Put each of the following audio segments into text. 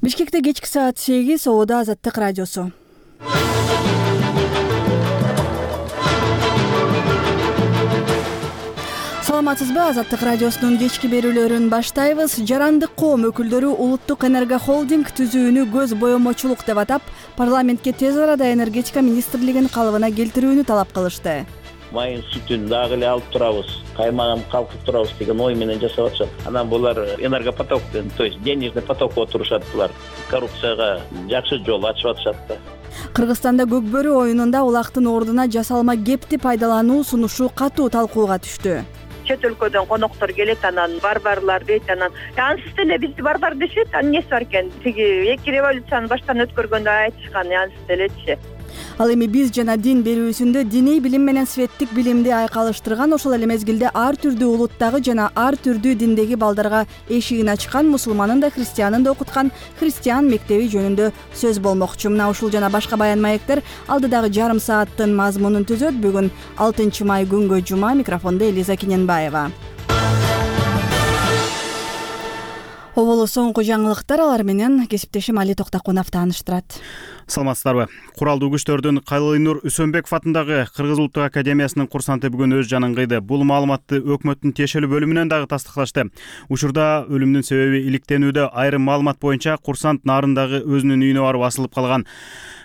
Бишкекте кечки саат 8 Ободо Азаттык радиосу. Саламатсызбы? Азаттык радиосунун кечки берүүлөрүн баштайбыз. Жарандык коом өкүлдөрү улуттук энергохолдинг түзүүнү көз боемочулук деп атап, парламентке тез арада энергетика министрлигин калыбына келтирүүнү талап кылышты. Майын сүтүн дагы эле алып турабыз, каймагын калкып турабыз деген ой менен жасап атышат. Анан булар энергопоток, то есть денежный поток болуп турушат. Булар коррупцияга жакшы жол ачып атышат да. Кыргызстанда Көкбөрү оюнунда улактын ордуна жасалма кепти пайдалануу сунушу катуу талкууга түштү. Чет өлкөдөн коноктор келет, анан барбарлар дейт, анан ансыз эле бизди барбар дешет, анан эмнеси бар экен? Тиги эки революцияны баштан өткөргөндө айтышкан, ансыз элечи. Ал эми биз жана дин берүүсүндө диний билим менен светтик билимди айкалыштырган, ошол эле мезгилде ар түрдүү улуттагы жана ар түрдүү диндеги балдарга эшигин ачкан, мусулманын да христианын да окуткан христиан мектеби жөнүндө сөз болмокчу. Мына ушул жана башка баян маектер алдыдагы жарым сааттын мазмунун түзөт. Бүгүн 6 май күнгө жума. Микрофондо Элиза Кененбаева. Оболу соңку жаңылыктар, алар менен кесиптешим Али Токтакунов тааныштырат. Саламатсыздарбы? Куралдуу күчтөрдүн Калыйнур Үсөнбеков атындагы Кыргыз Улуттук Академиясынын курсанты бүгүн өз жанын кыйды. Бул маалыматты өкмөттүн тиешелүү бөлүмүнөн дагы тастыкташты. Учурда өлүмүнүн себеби иликтенүүдө. Айрым маалымат боюнча курсант нарындагы өзүнүн үйүнө барып асылып калган.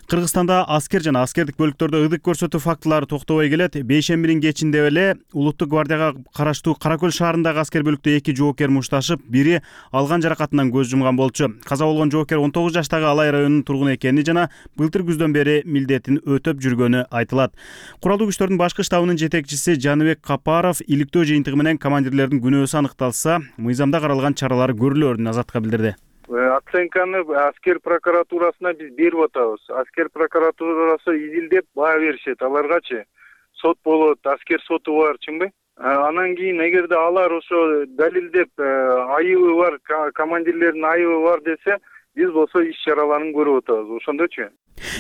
Кыргызстанда аскер жана аскердик бөлүктөрдө ыдык көрсөтүү фактылары токтобой келет. Бейшембинин кечинде эле Улуттук гвардияга караштуу Каракөл шаарындагы аскер бөлүктө 2 жоокер мушташып, бири алган жаракатынан көз жумган болчу. Каза болгон жоокер 19 жаштагы Алай районунун тургуну экени жана былтыр күздөн бери милдетин өтөп жүргөнү айтылат. Куралдуу күчтөрдүн башкы штабынын жетекчиси Жаныбек Капаров иликтөө жыйынтыгы менен командирлердин күнөөсү аныкталса, мыйзамда каралган чаралар көрүлөрүн Азаттыкка билдирди. Оценканы аскер прокуратурасына биз берип атабыз. Аскер прокуратурасы изилдеп баа беришет. Аларгачы сот болот, аскер соту бар, чыңбы? Анан кийин эгерде алар ошо далилдеп айыбы бар, командирлердин айыбы бар десе, биз болсо иш чараларын көрүп атабыз. Ошондочу?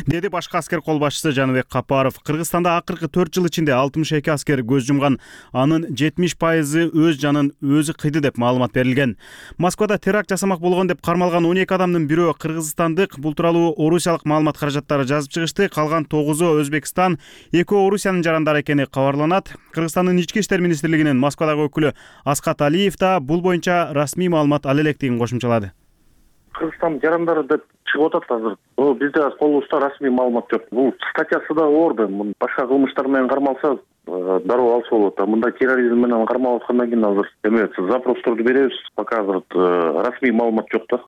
Деди башкы аскер кол башчысы Жаныбек Капаров. Кыргызстанда акыркы 4 жыл ичинде 62 аскер көз жумган, анын 70% өз жанын өзү кыйды деп маалымат берилген. Москвада теракт жасамак болгон деп кармалган 12 адамдын бирөө кыргызстандык. Бул тууралуу орусиялык маалымат каражаттары жазып чыгышты. Калган 9-у Өзбекстан, 2-о Орусиянын жарандары экени кабарланат. Кыргызстандын ички иштер министрлигинин Москвадагы өкүлү Аскат Алиев да бул боюнча расмий маалымат ал электигин кошумчалады. Кыргызстан жарандары деп чыгып атат азыр. Бизде колубузда расмий маалымат жок. Бул статьясы да орду. Башка кылмыштар менен кармалса, дароо алса болот. Мындай терроризм менен кармалып аткандан кийин азыр запросторду беребиз. Пока азыр расмий маалымат жок да.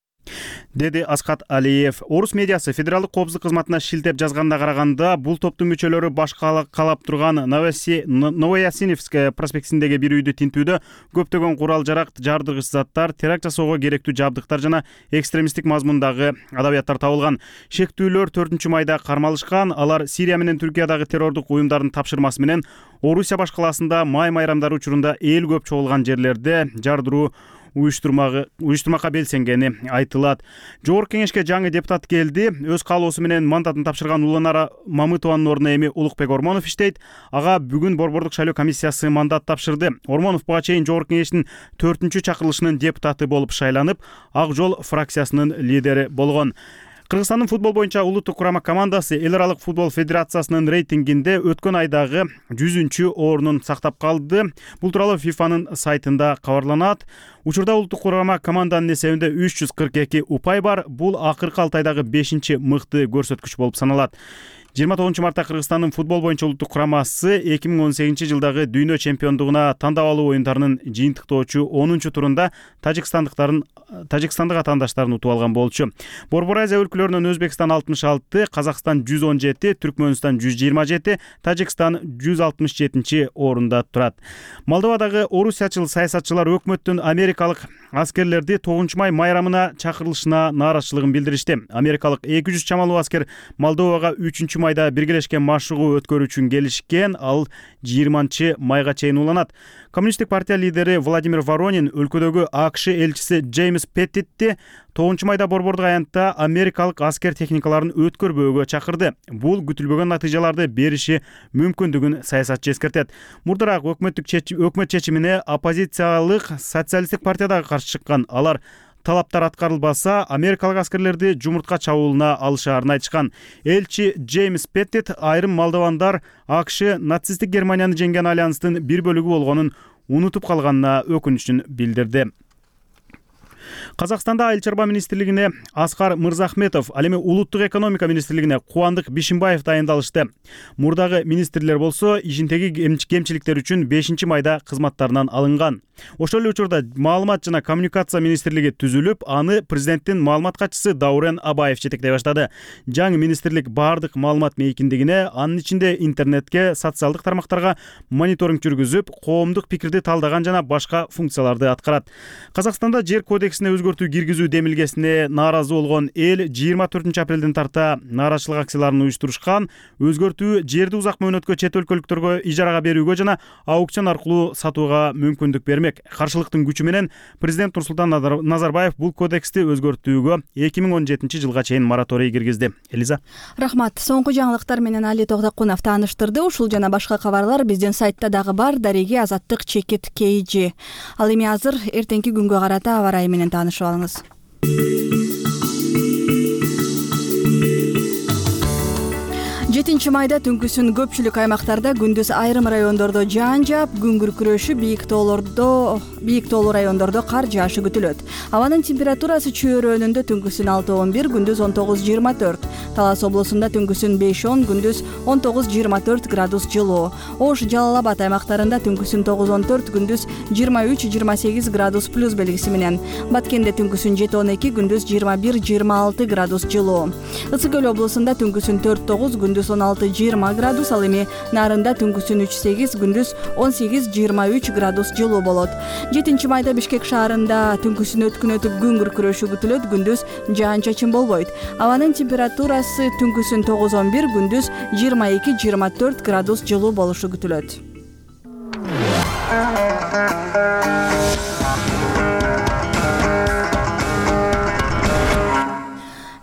Деди Аскат Алиев. Орус медиасы федералдык коопсуздук кызматына шилтеп жазганда караганда, бул топтун мүчөлөрү башка калап турган Новоясиневская проспектисиндеги бир үйдү тинтүүдө көптөгөн курал жарак, жардыргыч заттар, теракт жасоого керектүү жабдыктар жана экстремисттик мазмундагы адабияттар табылган. Шектүүлөр 4 майда кармалышкан. Алар Сирия менен Түркиядагы террордук уюмдардын тапшырмасы менен Орусия башкаласында май майрамдары учурунда эл көп чогулган жерлерде жардыруу уюштурмакка белсенгени айтылат. Жогорку кеңешке жаңы депутат келди. Өз каалоосу менен мандатын тапшырган Уланара Мамытованын ордуна эми Улукбек Ормонов иштейт. Ага бүгүн Борбордук шайлоо комиссиясы мандат тапшырды. Ормонов буга чейин Жогорку кеңештин 4-чакырылышынын депутаты болуп шайланып, Ак Жол фракциясынын лидери болгон. Кыргызстандын футбол боюнча улуттук курама командасы Эл аралык футбол федерациясынын рейтингинде өткөн айдагы 100-ордун сактап калды. Бул тууралуу ФИФАнын сайтында кабарланат. Учурда улуттук курама команданын эсебинде 342 упай бар. Бул акыркы 6 айдагы 5-мыкты көрсөткүч болуп саналат. 29 мартта Кыргызстандын футбол боюнча улуттук курамасы 2018-жылдагы дүйнө чемпиондугуна тандап алуу оюндарынын жыйынтыктоочу 10-турунда тажикстандык атаандаштарын утуп алган болчу. Борбор Азия өлкөлөрүнөн Өзбекстан 66, Казакстан 117, Түркмөнстан 127, Тажикстан 167-орунда турат. Молдовадагы орусиячыл саясатчылар өкмөттүн америкалык аскерлерди 9 май майрамына чакырылышына нааразычылыгын билдиришти. Америкалык 200 чамалуу аскер Молдовага 3 майда биргелешкен машыгуу өткөрүү үчүн келишкен. Ал 20 майга чейин уланат. Коммунисттик партия лидери Владимир Воронин өлкөдөгү АКШ элчиси Джеймс Петтитти 9 майда борбордук аянтта америкалык аскер техникаларын өткөрбөөгө чакырды. Бул күтүлбөгөн натыйжаларды бериши мүмкүндүгүн саясатчы эскертет. Мурдараак өкмөт чечимине оппозициялык социалисттик партия дагы каршы чыккан. Алар талаптар аткарылбаса, америкалык аскерлерди жумуртка чабуулуна алышаарын айтышкан. Элчи Джеймс Петтит айрым молдовандар АКШ нацисттик Германияны жеңген альянстын бир бөлүгү болгонун унутуп калганына өкүнүчүн билдирди. Казакстанда Айыл чарба министрлигине Аскар Мырзахметов, ал эми улуттук экономика министрлигине Кубандык Бишимбаев дайындалышты. Мурдагы министрлер болсо ишиндеги кемчиликтер үчүн 5-майда кызматтарынан алынган. Ошол эле учурда маалымат жана коммуникация министрлиги түзүлүп, аны президенттин маалымат катчысы Даурен Абаев жетектей баштады. Жаңы министрлик бардык маалымат мейкиндигине, анын ичинде интернетке, социалдык тармактарга мониторинг жүргүзүп, коомдук пикирди талдаган жана башка функцияларды аткарат. Казакстанда жер кодексине өзгөртүү киргизүү демилгесине нааразы болгон эл 24-апрелден тарта нааразычылык акцияларын уюштурушкан. Өзгөртүү жерди узак мөөнөткө чет өлкөлүктөргө ижарага берүүгө жана аукцион аркылуу сатууга мүмкүндүк бермек. Каршылыктын күчү менен президент Нурсултан Назарбаев бул кодексти өзгөртүүгө 2017 жылга чейин мораторий киргизди. Элиза. Рахмат. Соңку жаңылыктар менен Али Тогдокунов тааныштырды. Ушул жана башка кабарлар биздин сайтта дагы бар. Дареги Азаттык чекит KG. Ал эми азыр эртеңки күнгө карата аба ырайы менен таанышып алыңыз. 7 майда түнкүсүн көпчүлүк аймактарда, күндүз айрым райондордо жаан жаап, күн күркүрөшү, бийик тоолуу райондордо кар жаашы күтүлөт. Абанын температурасы чөйрөнүндө түнкүсүн 6-11, күндүз 19-24. Талас облусунда түнкүсүн 5-10, күндүз 19-24 градус жылуу. Ош, Жалал Абад аймактарында түнкүсүн 9-14, күндүз 23-28 градус плюс белгиси менен. Баткенде түнкүсүн 7-12, күндүз 21-26 градус жылуу. Ысык Көл облусунда түнкүсүн 4-9, күндүз 16-20 градус, ал эми Нарында түнкүсүн 3-8, күндүз 18-23 градус жылуу болот. 7 майда Бишкек шаарында түнкүсүн өткүн өтүп күн күркүрөшү күтүлөт, күндүз жаан-чачын болбойт. Абанын температурасы түнкүсүн 9-11, күндүз 22-24 градус жылуу болушу күтүлөт.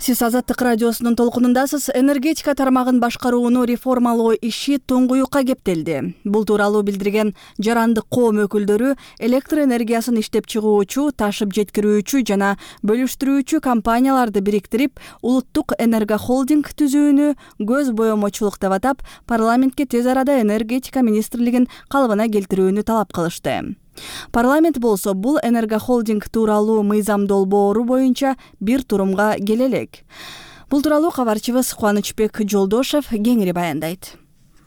Сиз Азаттык радиосунун толкунундасыз. Энергетика тармагын башкарууну реформалоо иши туңгуюкка кептелди. Бул тууралуу билдирген жарандык коом өкүлдөрү электр энергиясын иштеп чыгуучу, ташып жеткирүүчү жана бөлүштүрүүчү компанияларды бириктирип, улуттук энергохолдинг түзүүнү көз боемочулук деп атап, парламентке тез арада энергетика министрлигин калыбына келтирүүнү талап кылышты. Парламент болсо бул энергохолдинг тууралуу мыйзам долбоору боюнча бир турумга келе элек. Бул тууралуу кабарчыбыз Кубанычбек Жолдошев кеңири баяндайт.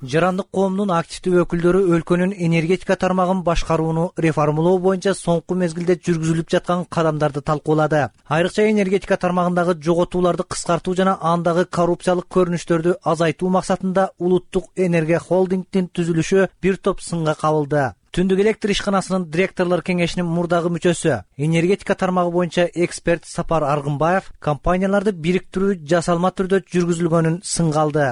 Жарандык коомдун активдүү өкүлдөрү өлкөнүн энергетика тармагын башкарууну реформалоо боюнча соңку мезгилде жүргүзүлүп жаткан кадамдарды талкуулады. Айрыкча энергетика тармагындагы жоготууларды кыскартуу жана андагы коррупциялык көрүнүштөрдү азайтуу максатында улуттук энергохолдингдин түзүлүшү бир топ сынга кабылды. Түндүк электр ишканасынын директорлор кеңешинин мурдагы мүчөсү, энергетика тармагы боюнча эксперт Сапар Аргынбаев компанияларды бириктирүү жасалма түрдө жүргүзүлгөнүн сынга алды.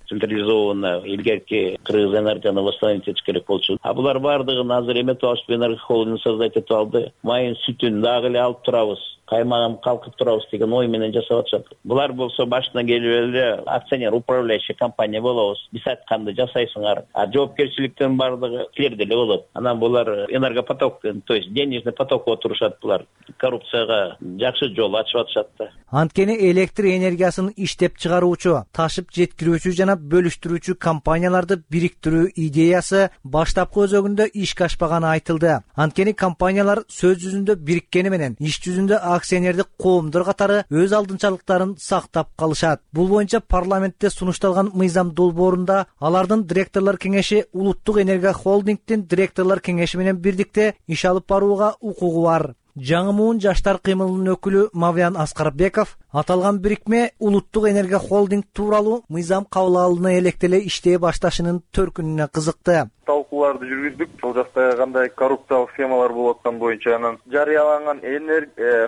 Централизованно илгерки Кыргыз энергияны восстановить этиш керек болчу. А булар бардыгын азыр эметип алышып, энергохолдинг создать этип алды. Майын сүтүн дагы эле алып турабыз, каймагын калкып турабыз деген ой менен жасап атышат. Булар болсо башынан келип эле акционер, управляющий компания болобуз. Биз айтканды жасайсыңар. А жоопкерчиликтин бардыгы силерде эле болот. Анан булар энергопоток, то есть денежный потокко турушат булар. Коррупцияга жакшы жол ачып атышат да. Анткени электр энергиясын иштеп чыгаруучу, ташып жеткирүүчү жана бөлүштүрүүчү компанияларды бириктирүү идеясы баштапкы өзөгүндө ишке ашпаганы айтылды. Анткени компаниялар сөз жүзүндө бириккени менен иш жүзүндө акционердик коомдор катары өз алдынчалыктарын сактап калышат. Бул боюнча парламентте сунушталган мыйзам долбоорунда алардын директорлор кеңеши улуттук энергохолдингдин директорлор кеңеши менен бирдикте иш алып барууга укугу бар. Жаңы муун жаштар кыймылынын өкүлү Мавлян Аскарбеков аталган бирикме улуттук энергохолдинг тууралуу мыйзам кабыл алына электеле иштей башташынын төркүнүнө кызыкты. Талкууларды жүргүздүк. Сол жакта кандай коррупциялык схемалар болуп аткан боюнча анан жарыяланган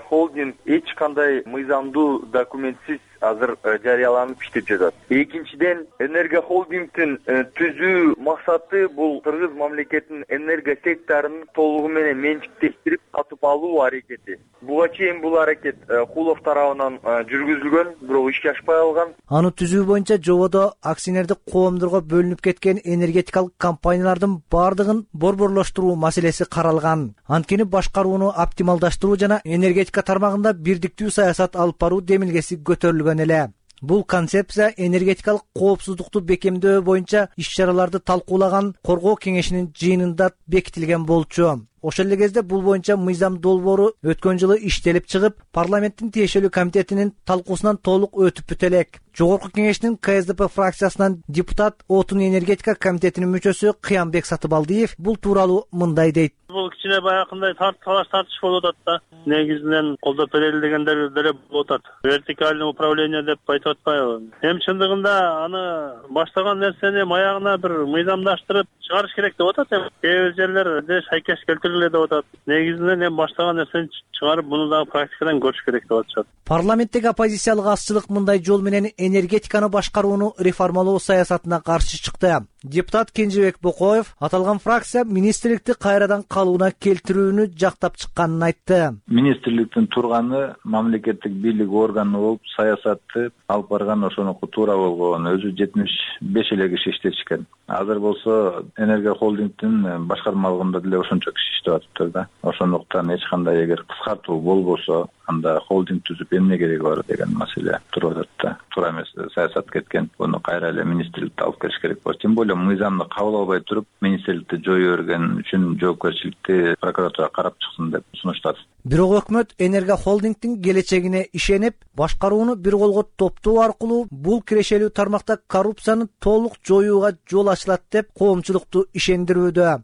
холдинг эч кандай мыйзамдуу документсиз азыр жарыяланып иштеп жатат. Экинчиден, Энерго холдингдин түзүү максаты бул кыргыз мамлекетинин энерго секторун толугу менен менчиктештирип сатып алуу аракети. Буга чейин бул аракет Кулов тарабынан жүргүзүлгөн, бирок ишке ашпай калган. Аны түзүү боюнча жободо акционердик коомдорго бөлүнүп кеткен энергетикалык компаниялардын бардыгын борборлоштуруу маселеси каралган. Анткени башкарууну оптималдаштыруу жана энергетика тармагында бирдиктүү саясат алып баруу демилгеси көтөрүлгөн эле. Бул концепция энергетикалык коопсуздукту бекемдөө боюнча иш-чараларды талкуулаган коргоо кеңешинин жыйынында бекитилген болчу. Ошол эле кезде бул боюнча мыйзам долбоору өткөн жылы иштелип чыгып, парламенттин тиешелүү комитетинин талкуусунан толук өтүп бүтө элек. Жогорку кеңештин КСДП фракциясынан депутат Отун энергетика комитетинин мүчөсү Кыянбек Сатыбалдиев бул тууралуу мындай дейт. Бул кичине баягындай талаш тартыш болуп атат да. Негизинен колдоп берели дегендер деле болуп атат. Вертикальный управление деп айтып атпайбы? Эми чындыгында аны баштаган нерсени маягына бир мыйзамдаштырып чыгарыш керек деп атат. Кээ бир жерлерде шайкеш келтириле деп атат. Негизинен эми баштаган нерсени чыгарып, муну дагы практикадан көрүш керек деп атышат. Парламенттеги оппозициялык азчылык мындай жол менен энергетиканы башкарууну реформалоо саясатына каршы чыкты. Депутат Кенжебек Бокоев аталган фракция министрликти кайрадан калууна келтирүүнү жактап чыкканын айтты. Министрликтин турганы мамлекеттик бийлик органы болуп саясатты алып барган ошонуку туура болгон. Өзү 75 эле киши иштешкен. Азыр болсо Энерго холдингдин башкармалыгында деле ошончо киши иштеп атыптыр да. Ошондуктан эч кандай эгер кыскартуу болбосо, анда холдинг түзүп эмне кереги бар деген маселе туруп атат да. Туура эмес саясат кеткен. Буну кайра эле министрликте алып келиш керек болот. Тем более мыйзамды кабыл албай туруп, министрликти жое берген үчүн жоопкерчиликти прокуратура карап чыксын деп сунуштады. Бирок өкмөт Энерго холдингдин келечегине ишенип, башкарууну бир колго топтоо аркылуу бул кирешелүү тармакта коррупцияны толук жоюуга жол ачылат деп коомчулукту ишендирүүдө.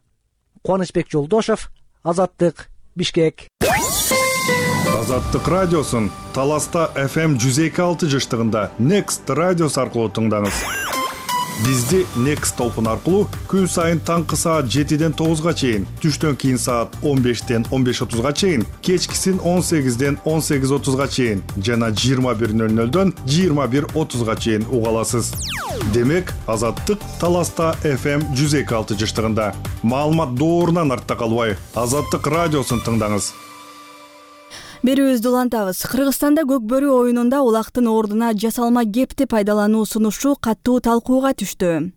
Кубанычбек Жолдошов, Азаттык, Бишкек. Азаттык радиосун Таласта FM 102.6 жыштыгында Next радиосу аркылуу тыңдаңыз. Бизди Next толкун аркылуу күн сайын таңкы саат 7ден 9га чейин, түштөн кийин саат 15ден 15:30га чейин, кечкисин 18ден 18:30га чейин жана 21:00дөн 21:30га чейин уга аласыз. Демек, Азаттык Таласта FM 102.6 жыштыгында. Маалымат доорунан артта калбай, Азаттык радиосун тыңдаңыз. Берүүбүздү улантабыз. Кыргызстанда көкбөрү оюнунда улактын ордуна жасалма кепти пайдалануу сунушу катуу талкууга түштү.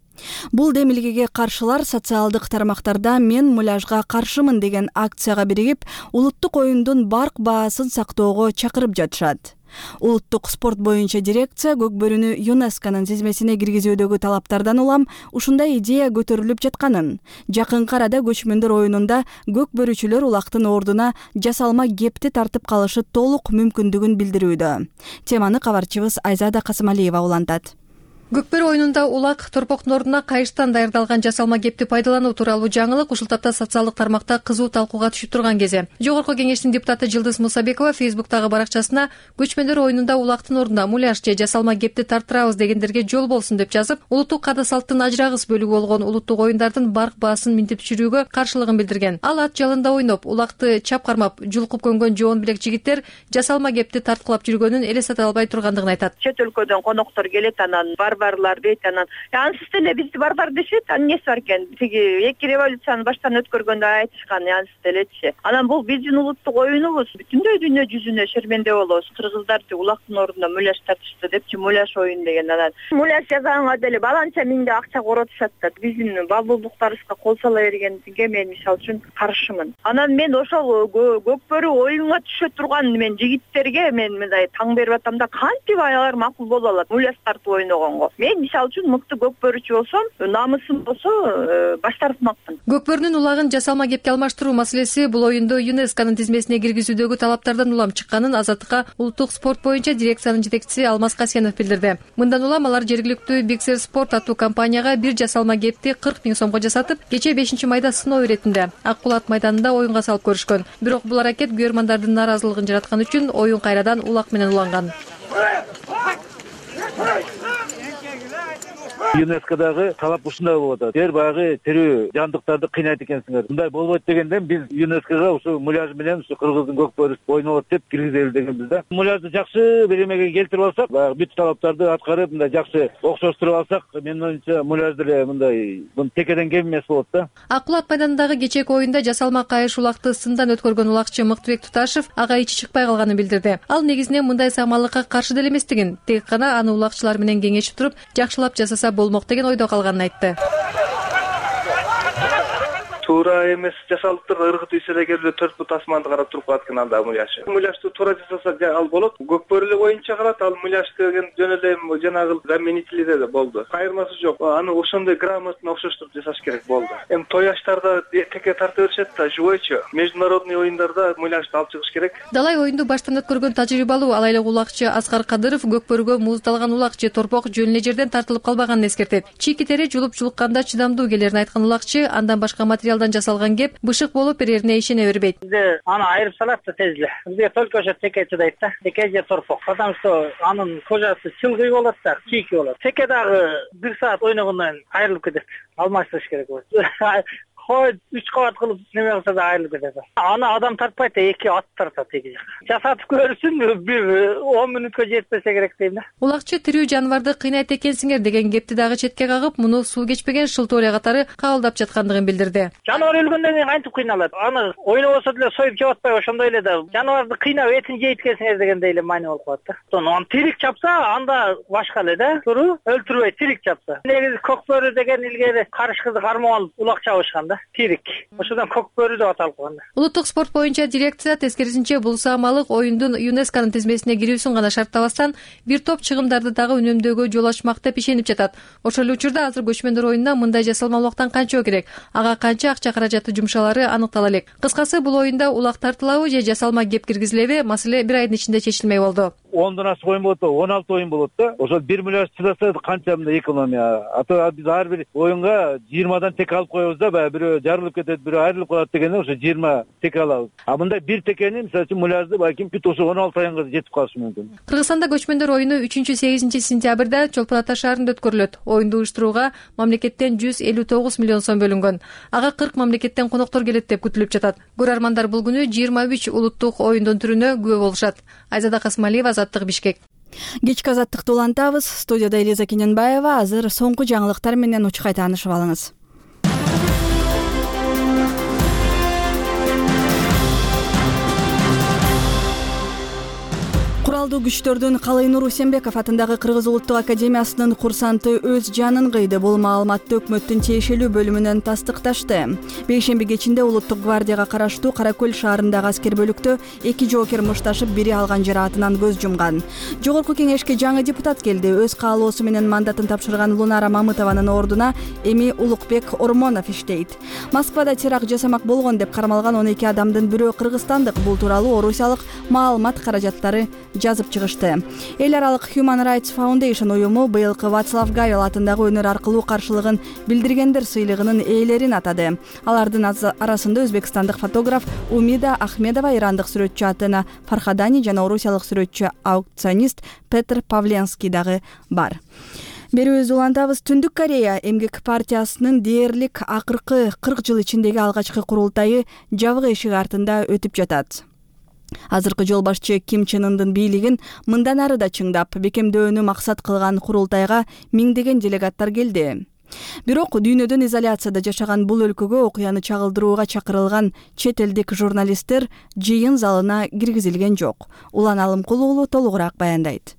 Бул демилгеге каршылар социалдык тармактарда "Мен муляжга каршымын" деген акцияга биригип, улуттук оюндун барк баасын сактоого чакырып жатышат. Улуттук спорт боюнча дирекция көкбөрүнү ЮНЕСКОнун тизмесине киргизүүдөгү талаптардан улам ушундай идея көтөрүлүп жатканын, жакынкы арада көчмөндөр оюнунда көкбөрүчүлөр улактын ордуна жасалма кепти тартып калышы толук мүмкүндүгүн билдирүүдө. Теманы кабарчыбыз Айзада Касымалиева улантат. Көкбөрү оюнунда улак торпоктун ордуна кайыштан даярдалган жасалма кепти пайдалануу тууралуу жаңылык ушул тапта социалдык тармакта кызуу талкууга түшүп турган кези. Жогорку кеңештин депутаты Жылдыз Мусабекова Фейсбуктагы баракчасына көчмөндөр оюнунда улактын ордуна муляж же жасалма кепти тарттырабыз дегендерге жол болсун деп жазып, улуттук каада салттын ажырагыс бөлүгү болгон улуттук оюндардын барк баасын минтип түшүрүүгө каршылыгын билдирген. Ал ат жалында ойноп, улакты чап кармап, жулкуп көнгөн жоон билек жигиттер жасалма кепти тарткылап жүргөнүн элестете албай тургандыгын айтат. Чет өлкөдөн коноктор келет, анан барбарлар дейт, анан ансыз деле бизди барбар дешет, анан эмнеси бар экен? Тиги эки революцияны баштан өткөргөндө айтышкан, ансыз делечи. Анан бул биздин улуттук оюнубуз, бүтүндөй дүйнө жүзүнө шерменде болобуз. Кыргыздар улактын ордуна муляж тартышты депчи, муляж оюн деген. Анан муляж жасаганга деле баланча миңде акча коротушат да. Биздин балдуулуктарыбызга кол сала бергенге мен мисалы үчүн каршымын. Анан мен ошол көкбөрү оюнга түшө турган мен жигиттерге мен мындай таң берип атам да, кантип алар макул боло алат муляж тартып ойногонго. Мен мисалы үчүн мыкты көкбөрүчү болсом, намысым болсо баш тартмакмын. Көкбөрүнүн улагын жасалма кепке алмаштыруу маселеси бул оюнду ЮНЕСКонун тизмесине киргизүүдөгү талаптардан улам чыкканын Азаттыкка улуттук спорт боюнча дирекциянын жетекчиси Алмаз Касенов билдирди. Мындан улам алар жергиликтүү Биксер спорт аттуу компанияга бир жасалма кепти 40 000 сомго жасатып, кече 5 майда сыноо иретинде Акбулат майданында оюнга салып көрүшкөн. Бирок бул аракет көрөрмандардын нааразылыгын жараткан үчүн оюн кайрадан улак менен уланган. ЮНЕСКОдагы талап ушундай болуп атат. Силер баягы тирүү жандыктарды кыйнайт экенсиңер. Мындай болбойт дегенден биз ЮНЕСКОго ушу муляж менен ушу кыргыздын көк бөрүсү ойнолот деп киргизели дегенбиз да. Муляжды жакшы бир эмеге келтирип алсак, баягы бүт талаптарды аткарып, мындай жакшы окшоштуруп алсак, менин оюмча муляж деле мындай текеден кем эмес болот да. Акбулат майданындагы кечээки оюнда жасалма кайыш улакты сындан өткөргөн улакчы Мыктыбек Туташев ага ичи чыкпай калганын билдирди. Ал негизинен мындай саамалыкка каршы деле эместигин, тек гана аны улакчылар менен кеңешип туруп, жакшылап жасаса болмок деген ойдо калганын айтты. Туура эмес жасалыптыр. Ыргыт үйсүрө келип 4 бут асманды карап туруп калат экен анда муляжды. Муляжды туура жасаса ал болот. Көк бөрүлө боюнча калат. Ал муляж деген жөн эле жанагы заменителиде да болду. Кайырмасы жок. Аны ошондой грамотно окшоштуруп жасаш керек болду. Эми той аштарда теке тарта беришет да, живойчу. Международный оюндарда муляжды алып чыгыш керек. Далай оюнду баштан өткөргөн тажрыйбалуу ал айлык улакчы Аскар Кадыров көк бөрүгө муздалган улакчы торпок жөн эле жерден тартылып калбаганын эскертет. Чийки тери жулуп жулукканда чыдамдуу келерин айткан улакчы андан башка материалдан жасалган кеп бышык болуп берерине ишене бербейт. Бизде аны айырып салат да тезле. Бизге только ошо теке чыдайт да. Теке же торпок. Потому что анын кожасы чылгый болот да, чийки болот. Теке дагы 1 саат ойногондон кийин айрылып кетет. Алмаштырыш керек болот. Хой 3 кабат кылып неме кылса да айрылып кетет. Аны адам тартпайт, 2 ат тартат теги жака. Жасатып көрсүн, бир 10 мүнөткө жетпесе керек дейм да. Улакчы тирүү жаныбарды кыйнайт экенсиңер деген кепти дагы четке кагып, муну суу кечпеген шылтооле катары кабылдап жаткандыгын билдирди. Жаныбар өлгөндөн кийин кантип кыйналат? Аны ойнобосо деле союп жеп атпай ошондой эле да. Жаныбарды кыйнап этин жейт экенсиңер дегендей эле маани болуп калат да. Аны тирик чапса, анда башка эле да. Туру өлтүрбөй тирик чапса. Негизи көк бөрү деген илгери карыш кызды кармап алып улак чабышкан да. Тирик. Ошондон көк бөрү деп аталып калган да. Улуттук спорт боюнча дирекция тескерисинче бул саамалык оюндун ЮНЕСКОнун тизмесине кирүүсүн гана шарттабастан бир топ чыгымдарды дагы үнөмдөөгө жол ачмак деп ишенип жатат. Ошол эле учурда азыр көчмөндөр оюнуна мындай жасалма улактан канча керек, ага канча акча каражаты жумшалары аныктала элек. Кыскасы бул оюнда улак тартылабы же жасалма кеп киргизилеби, маселе бир айдын ичинде чечилмей болду. 10дан ашык оюн болот, 16 оюн болот да. Ошол бир муляж чыдаса канча мындай экономия. Ата биз ар бир оюнга 20дан тек алып коебуз да, баягы бирөө жарылып кетет, бирөө айрылып калат дегенде ошо 20 теке алабыз. А мындай бир текени, мисалы үчүн муляжды балким бүт ошо 16 аянга жетип калышы мүмкүн. Кыргызстанда көчмөндөр оюну 3-8 сентябрда Чолпон Ата шаарында өткөрүлөт. Оюнду уюштурууга мамлекеттен 159 миллион сом бөлүнгөн. Ага 40 мамлекеттен коноктор келет деп күтүлүп жатат. Көрөрмандар бул күнү 23 улуттук оюндун түрүнө күбө болушат. Айзада Касмалиева, Азаттык, Бишкек. Кечки азаттыкты улантабыз. Студияда Элиза Кененбаева. Азыр соңку жаңылыктар менен учкай таанышып алыңыз. Куралдуу күчтөрдүн Калыйнур Усенбеков атындагы Кыргыз Улуттук Академиясынын курсанты өз жанын кыйды. Бул маалыматты өкмөттүн тиешелүү бөлүмүнөн тастыкташты. Бейшемби кечинде Улуттук гвардияга караштуу Каракөл шаарындагы аскер бөлүктө 2 жоокер мушташып, бири алган жараатынан көз жумган. Жогорку кеңешке жаңы депутат келди. Өз каалоосу менен мандатын тапшырган Лунара Мамытованын ордуна эми Улукбек Ормонов иштейт. Москвада теракт жасамак болгон деп кармалган 12 адамдын бирөө кыргызстандык. Бул тууралуу орусиялык маалымат каражаттары жазып чыгышты. Эл аралык Human Rights Foundation уюму быйылкы Вацлав Гавел атындагы өнөр аркылуу каршылыгын билдиргендер сыйлыгынын ээлерин атады. Алардын арасында өзбекстандык фотограф Умида Ахмедова, ирандык сүрөтчү Атена Фархадани жана орусиялык сүрөтчү аукционист Петр Павленский дагы бар. Берүүбүздү улантабыз. Түндүк Корея эмгек партиясынын дээрлик акыркы 40 жыл ичиндеги алгачкы курултайы жабык эшик артында өтүп жатат. Азыркы жол башчы Ким Чен Ындын бийлигин мындан ары да чыңдап, бекемдөөнү максат кылган курултайга миңдеген делегаттар келди. Бирок дүйнөдөн изоляцияда жашаган бул өлкөгө окуяны чагылдырууга чакырылган чет элдик журналисттер жыйын залына киргизилген жок. Улан Алымкул уулу толугураак баяндайт.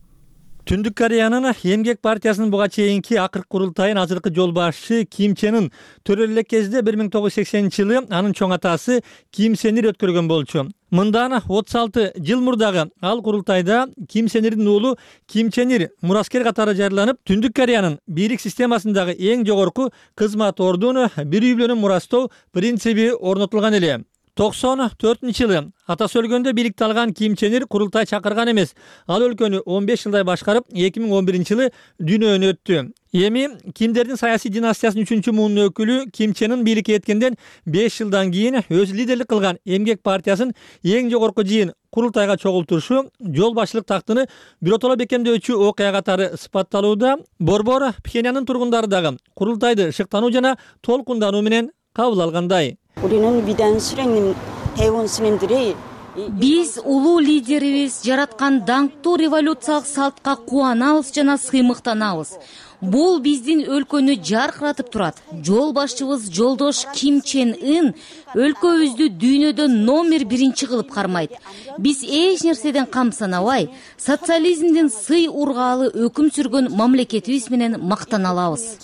Түндүк Кореянын эмгек партиясынын буга чейинки акыркы курултайын азыркы жол башчы Ким Чен Ын төрөлүү элек кезде 1980-жылы анын чоң атасы Ким Сен Ир өткөргөн болчу. Мындан 36 жыл мурдагы ал курултайда Ким Сен Ирдин уулу Ким Чен Ир мураскер катары жарыяланып, Түндүк Кореянын бийлик системасындагы эң жогорку кызмат ордуну бир үй менен мурастоо принциби орнотулган эле. 94-жылы атасы өлгөндө бийликти алган Ким Чен Ир курултай чакырган эмес. Ал өлкөнү 15 жылдай башкарып, 2011-жылы дүйнөдөн өттү. Эми Кимдердин саясий династиясынын 3-муунун өкүлү Ким Чен Ын бийликке жеткенден 5 жылдан кийин өзү лидерлик кылган Эмгек партиясын эң жогорку жыйын курултайга чогултурушу жол башчылык тактыны биротоло бекемдөөчү окуя катары сыпатталууда. Борбор Пхеньяндын тургундары дагы курултайды шыктануу жана толкундануу менен кабыл алгандай. Биз улуу лидерибиз жараткан даңктуу революциялык салтка кубанабыз жана сыймыктанабыз. Бул биздин өлкөнү жаркыратып турат. Жол башчыбыз жолдош Ким Чен Ын өлкөбүздү дүйнөдө номер 1 кылып кармайт. Биз эч нерседен камсанабай, социализмдин сый ургаалы өкүм сүргөн мамлекетибиз менен мактана алабыз.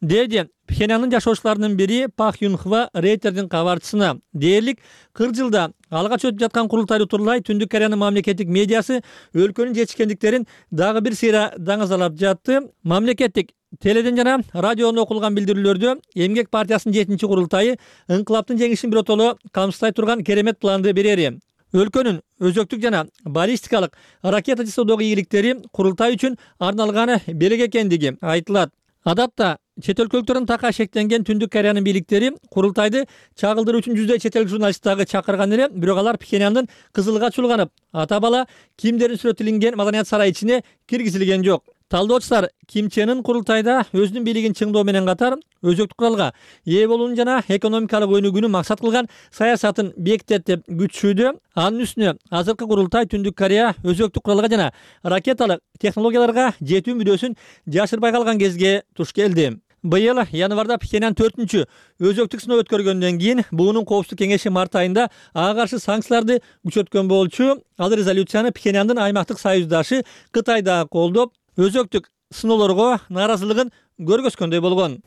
Деди Пхеньяндын жашоочуларынын бири Пак Юн Хва Рейтердин кабарчысына. Дээрлик 40 жылда алгач өтүп жаткан курултайды турлай Түндүк Кореянын мамлекеттик медиасы өлкөнүн жетишкендиктерин дагы бир сыйра даңазалап жатты. Мамлекеттик теледен жана радионун окулган билдирүүлөрдө Эмгек партиясынын 7-чи курултайы ыңкылаптын жеңишин биротоло камсыздай турган керемет планды берери. Өлкөнүн өзөктүк жана баллистикалык ракета жасоодогу ийгиликтери курултай үчүн арналган белек экендиги айтылат. Адатта чет өлкөлүктөрдүн така шектенген Түндүк Кореянын бийликтери курултайды чагылдыруу үчүн жүздөй чет эл журналист дагы чакырган эле, бирок алар Пхеньяндын кызылга чулганып, ата бала Кимдердин сүрөтүлгөн маданият сарайы ичине киргизилген жок. Талдоочулар Ким Чен Ын курултайда өзүнүн бийлигин чыңдоо менен катар өзөктүк куралга ээ болуун жана экономикалык өнүгүүнү максат кылган саясатын бекитет деп күтүшүүдө. Анын үстүнө азыркы курултай Түндүк Корея өзөктүк куралга жана ракеталык технологияларга жетүү мүдөөсүн жашырбай калган кезге туш келди. Быйыл январда Пхеньян 4-чү өзөктүк сыноо өткөргөндөн кийин буунун коопсуздук кеңеши март айында ага каршы санкцияларды күчөткөн болчу. Ал резолюцияны Пхеньяндын аймактык союздашы Кытай да колдоп, өзөктүк сыноолорго нааразылыгын көргөзгөндөй болгон.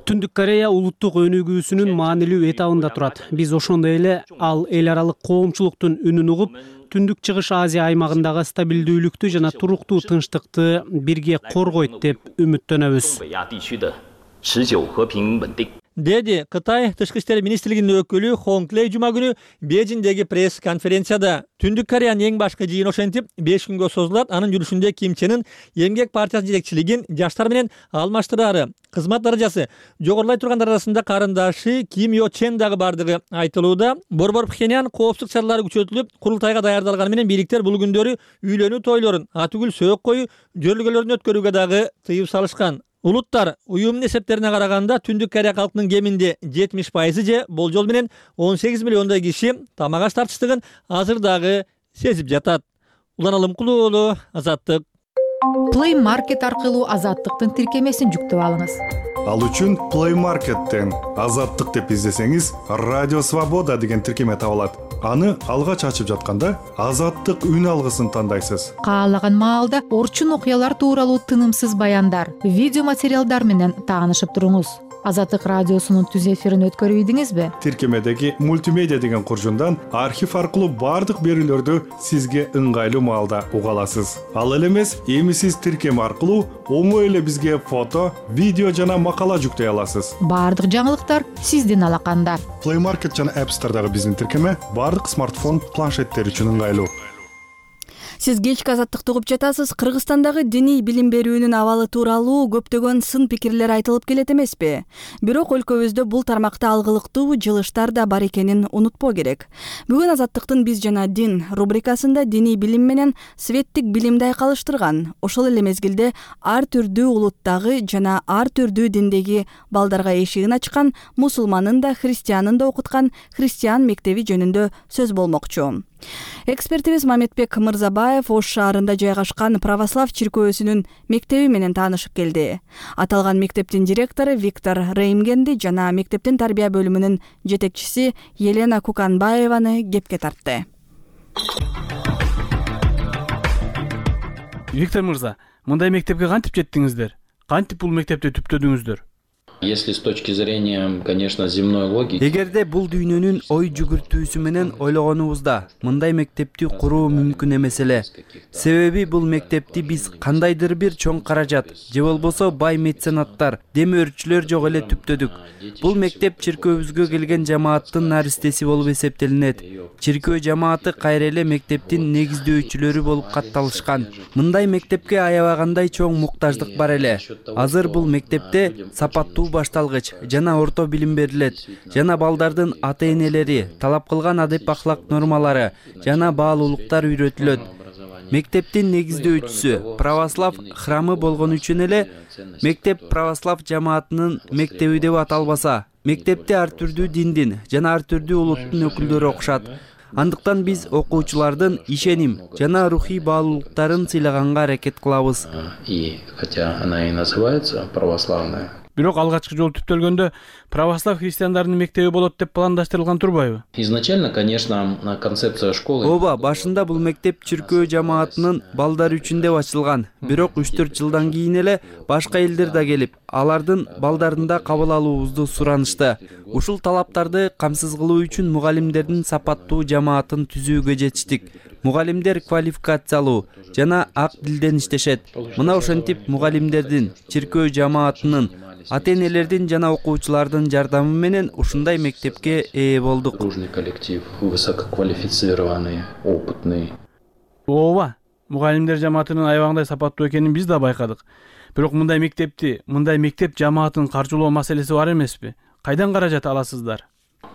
Түндүк Корея улуттук өнүгүүсүнүн маанилүү этабында турат. Биз ошондой эле ал эл аралык коомчулуктун үнүн угуп, Түндүк Чыгыш Азия аймагындагы стабилдүүлүктү жана туруктуу тынчтыкты бирге коргойт деп үмүттөнөбүз. Деди Кытай Тышкы иштер министрлигинин өкүлү Хонг Лей жума күнү Бейжиңдеги пресс конференцияда. Түндүк Кореянын эң башкы жыйыны ошентип 5 күнгө созулат. Анын жүрүшүндө Ким Чен Ын Эмгек партиясынын жетекчилигин жаштар менен алмаштырары, кызмат даражасы жогорулай тургандар арасында карындашы Ким Йо Чен дагы бардыгы айтылууда. Борбор Пхеньян коопсуздук чаралары күчөтүлүп, курултайга даярдалганы менен бийликтер бул күндөрү үйлөнүү тойлорун, атүгүл сөөк коюу жөрөлгөлөрүн өткөрүүгө дагы тыюу салышкан. Улуттар уюмунун эсептерине караганда Түндүк Корея калкынын кеминде 70% же болжол менен 18 миллиондой киши тамак аш тартычтыгын азыр дагы сезип жатат. Улан Алымкулуу уулу, Азаттык. Play Market аркылуу Азаттыктын тиркемесин жүктөп алыңыз. Ал үчүн Play Market'тен Азаттык деп издесеңиз, Радио Свобода деген тиркеме табылат. Аны алгач ачып жатканда Азаттык үн алгысын тандайсыз. Каалаган маалда орчун окуялар тууралуу тынымсыз баяндар, видео материалдар менен таанышып туруңуз. Азаттык радиосунун түз эфирин өткөрүп ийдиңизби? Тиркемедеги мультимедиа деген куржундан архив аркылуу бардык берүүлөрдү сизге ыңгайлуу маалда уга аласыз. Ал эле эмес, эми сиз тиркеме аркылуу оңой эле бизге фото, видео жана макала жүктөй аласыз. Бардык жаңылыктар сиздин алаканда. Play Market жана App Store'дагы биздин тиркеме бардык смартфон, планшеттер үчүн ыңгайлуу. Сиз кечки Азаттыкты угуп жатасыз. Кыргызстандагы диний билим берүүнүн абалы тууралуу көптөгөн сын пикирлер айтылып келет эмеспи? Бирок өлкөбүздө бул тармакта алгылыктуу жылыштар да бар экенин унутпоо керек. Бүгүн Азаттыктын «Биз жана дин» рубрикасында диний билим менен светтик билимди айкалыштырган, ошол эле мезгилде ар түрдүү улуттагы жана ар түрдүү диндеги балдарга эшигин ачкан, мусулманын да христианын да окуткан христиан мектеби жөнүндө сөз болмокчу. Экспертибиз Мамедбек Мырзабаев Ош шаарында жайгашкан православ чиркөөсүнүн мектеби менен таанышып келди. Аталган мектептин директору Виктор Реймгенди жана мектептин тарбия бөлүмүнүн жетекчиси Елена Куканбаеваны кепке тартты. Виктор мырза, мындай мектепке кантип жеттиңиздер? Кантип бул мектепти түптөдүңүздөр? Если с точки зрения, конечно, земной логики. Эгерде бул дүйнөнүн ой жүгүртүүсү менен ойлогонубузда мындай мектепти куруу мүмкүн эмес эле. Себеби бул мектепти биз кандайдыр бир чоң каражат же болбосо бай меценаттар, демөөрчүлөр жок эле түптөдүк. Бул мектеп чиркөөбүзгө келген жамааттын наристеси болуп эсептелинет. Чиркөө жамааты кайра эле мектептин негиздөөчүлөрү болуп катталышкан. Мындай мектепке аябагандай чоң муктаждык бар эле. Азыр бул мектепте сапаттуу башталгыч жана орто билим берилет. Жана балдардын ата-энелери талап кылган адеп ахлак нормалары жана баалуулуктар үйрөтүлөт. Мектептин негиздөөчүсү православ храмы болгон үчүн эле мектеп православ жамаатынын мектеби деп аталбаса, мектепте ар түрдүү диндин жана ар түрдүү улуттун өкүлдөрү окушат. Андыктан биз окуучулардын ишеним жана рухий баалуулуктарын сыйлаганга аракет кылабыз. И хотя она и называется православная. Бирок алгачкы жолу түптөлгөндө православ христиандарынын мектеби болот деп пландаштырылган турбайбы? Изначально, конечно, концепция школы. Ооба, башында бул мектеп чиркөө жамаатынын балдары үчүн деп ачылган. Бирок 3-4 жылдан кийин эле башка элдер да келип, алардын балдарын да кабыл алуубузду суранышты. Ушул талаптарды камсыз кылуу үчүн мугалимдердин сапаттуу жамаатын түзүүгө жетиштик. Мугалимдер квалификациялуу жана ак дилден иштешет. Мына ошентип мугалимдердин, чиркөө жамаатынын, ата-энелердин жана окуучулардын жардамы менен ушундай мектепке ээ болдук. Дружный коллектив, высококвалифицированный, опытный. Ооба, мугалимдер жамаатынын аябагандай сапаттуу экенин биз да байкадык. Бирок мындай мектеп жамаатын каржылоо маселеси бар эмеспи? Кайдан каражат аласыздар?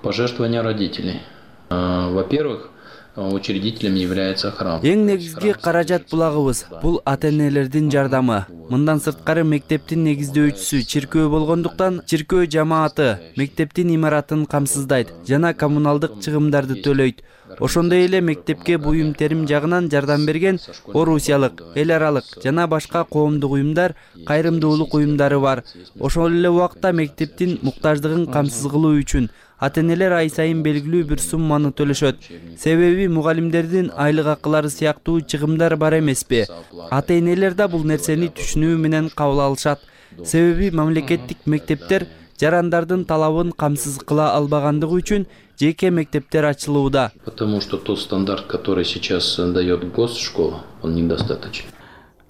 Пожертвования родителей. Во-первых, учредителем является храм. Эң негизги каражат булагыбыз бул ата-энелердин жардамы. Мындан сырткары мектептин негиздөөчүсү чиркөө болгондуктан чиркөө жамааты мектептин имаратын камсыздайт жана коммуналдык чыгымдарды төлөйт. Ошондой эле мектепке буюм терим жагынан жардам берген орусиялык, эл аралык жана башка коомдук уюмдар, кайрымдуулук уюмдары бар. Ошол эле убакта мектептин муктаждыгын камсыз кылуу үчүн ата-энелер ай сайын белгилүү бир сумманы төлөшөт. Себеби мугалимдердин айлык акылары сыяктуу чыгымдар бар эмеспи? Ата-энелер да бул нерсени түшүнүү менен кабыл алышат. Себеби мамлекеттик мектептер жарандардын талабын камсыз кыла албагандыгы үчүн жеке мектептер ачылууда. Потому что тот стандарт, который сейчас дает госшкола, он недостаточен.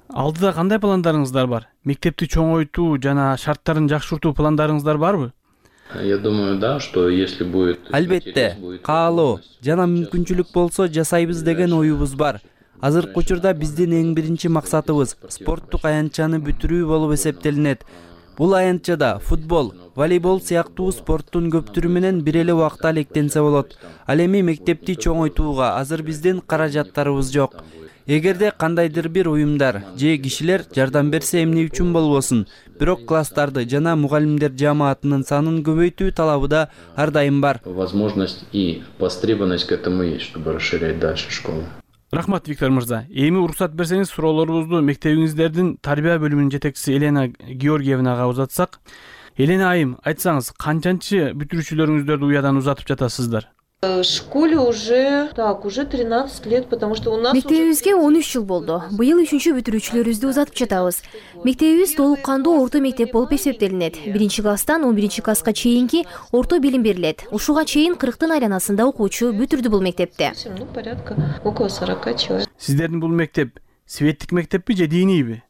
Алдыда кандай пландарыңыздар бар? Мектепти чоңойтуу жана шарттарын жакшыртуу пландарыңыздар барбы? Я думаю, да, что если будет... Албетте, каалоо жана мүмкүнчүлүк болсо жасайбыз деген оюбуз бар. Азыркы учурда биздин эң биринчи максатыбыз спорттук аянтчаны бүтүрүү болуп эсептелинет. Бул аянтчада футбол, волейбол сыяктуу спорттун көптүрү менен бир эле убакта алектенсе болот. Ал эми мектепти чоңойтууга азыр биздин каражаттарыбыз жок. Эгерде кандайдыр бир уюмдар же кишилер жардам берсе эмне үчүн болбосун, бирок класстарды жана мугалимдер жамаатынын санын көбөйтүү талабы да ар дайым бар. Возможность и востребованность к этому есть, чтобы расширять дальше школу. Рахмат, Виктор мырза. Эми уруксат берсеңиз, суроолорубузду мектебиңиздердин тарбия бөлүмүнүн жетекчиси Елена Георгиевнага узатсак. Елена айым, айтсаңыз, канчанчы бүтүрүүчүлөрүңүздөрдү уядан узатып жатасыздар? В школе уже 13 лет, потому что у нас... Мектебибизге 13 жыл болду. Быйыл 3-чү бүтүрүүчүлөрүбүздү узатып жатабыз. Мектебибиз толук кандуу орто мектеп болуп эсептелинет. 1-класстан 11-класска чейинки орто билим берилет. Ушуга чейин 40-тын айланасында окуучу бүтүрдү бул мектепте. Ну, порядка около 40 человек. Сиздердин бул мектеп светтик мектеппи же динийби?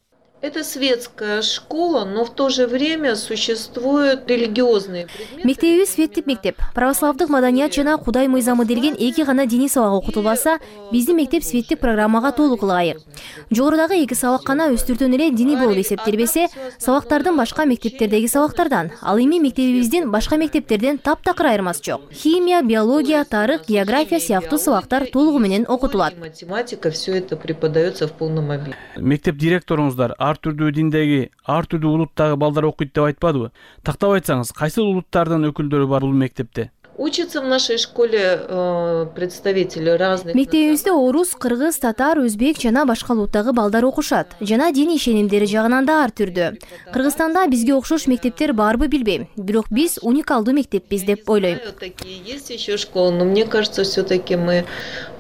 Это светская школа, но в то же время существуют религиозные предметы. Мектебибиз светтик мектеп. Православдык маданият жана Кудай мыйзамы делген эки гана диний сабак окутулбаса, биздин мектеп светтик программага толук ылайык. Жогорудагы эки сабак гана өстүртөн эле диний болуп эсептелбесе, сабактардын башка мектептердеги сабактардан, ал эми мектебибиздин башка мектептерден таптакыр айырмасы жок. Химия, биология, тарых, география сыяктуу сабактар толугу менен окутулат. Математика, все это преподается в полном объеме. Мектеп директоруңуздар ар түрдүү диндеги, ар түрдүү улуттагы балдар окуйт деп айтпадыбы? Тактап айтсаңыз, кайсы улуттардын өкүлдөрү бар бул мектепте? Учатся в нашей школе представители разных... Мектебибизде орус, кыргыз, татар, өзбек жана башка улуттагы балдар окушат. Жана дин ишенимдери жагынан да ар түрдүү. Кыргызстанда бизге окшош мектептер барбы билбейм. Бирок биз уникалдуу мектеппиз деп ойлойм. Такие есть еще школы, но мне кажется, все-таки мы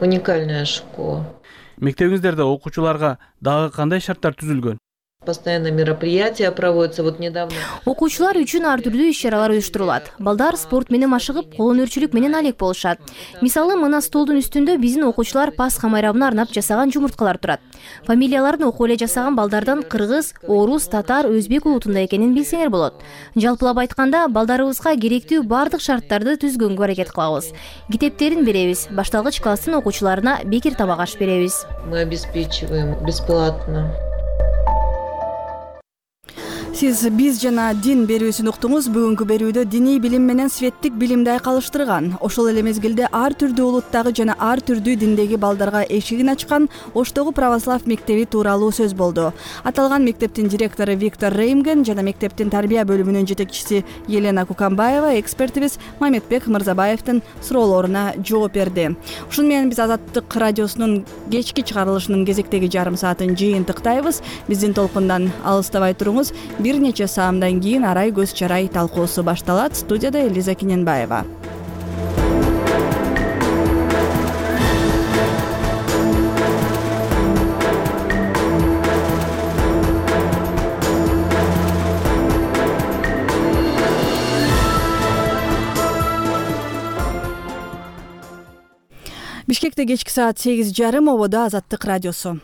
уникальная школа. Мектебиңиздерде окуучуларга дагы кандай шарттар түзүлгөн? Постоянно мероприятия проводятся. Вот недавно. Окуучулар үчүн ар түрдүү иш-чаралар уюштурулат. Балдар спорт менен машыгып, кол өнөрчүлүк менен алек болушат. Мисалы, мына столдун үстүндө биздин окуучулар Пасха майрамына арнап жасаган жумурткалар турат. Фамилияларын окуп эле жасаган балдардан кыргыз, орус, татар, өзбек улутунда экенин билсеңер болот. Жалпылап айтканда, балдарыбызга керектүү бардык шарттарды түзгөнгө аракет кылабыз. Китептерин беребиз, башталгыч класстын окуучуларына бекер тамак аш беребиз. Мы обеспечиваем бесплатно. Сиз биз жана дин берүүсүн уктуңуз. Бүгүнкү берүүдө диний билим менен светтик билимди айкалыштырган, ошол эле мезгилде ар түрдүү улуттагы жана ар түрдүү диндеги балдарга эшигин ачкан Оштогу православ мектеби тууралуу сөз болду. Аталган мектептин директору Виктор Реймген жана мектептин тарбия бөлүмүнүн жетекчиси Елена Куканбаева экспертибиз Мамедбек Мырзабаевдин суроолоруна жооп берди. Ушуну менен биз Азаттык радиосунун кечки чыгарылышынын кезектеги жарым саатын жыйынтыктайбыз. Биздин толкундан алыстабай туруңуз. Бир нече саамдан кийин арай көз чарай талкуусу башталат. Студияда Элиза Киненбаева. Бишкекте кечки саат 8:30, ободо Азаттык радиосу.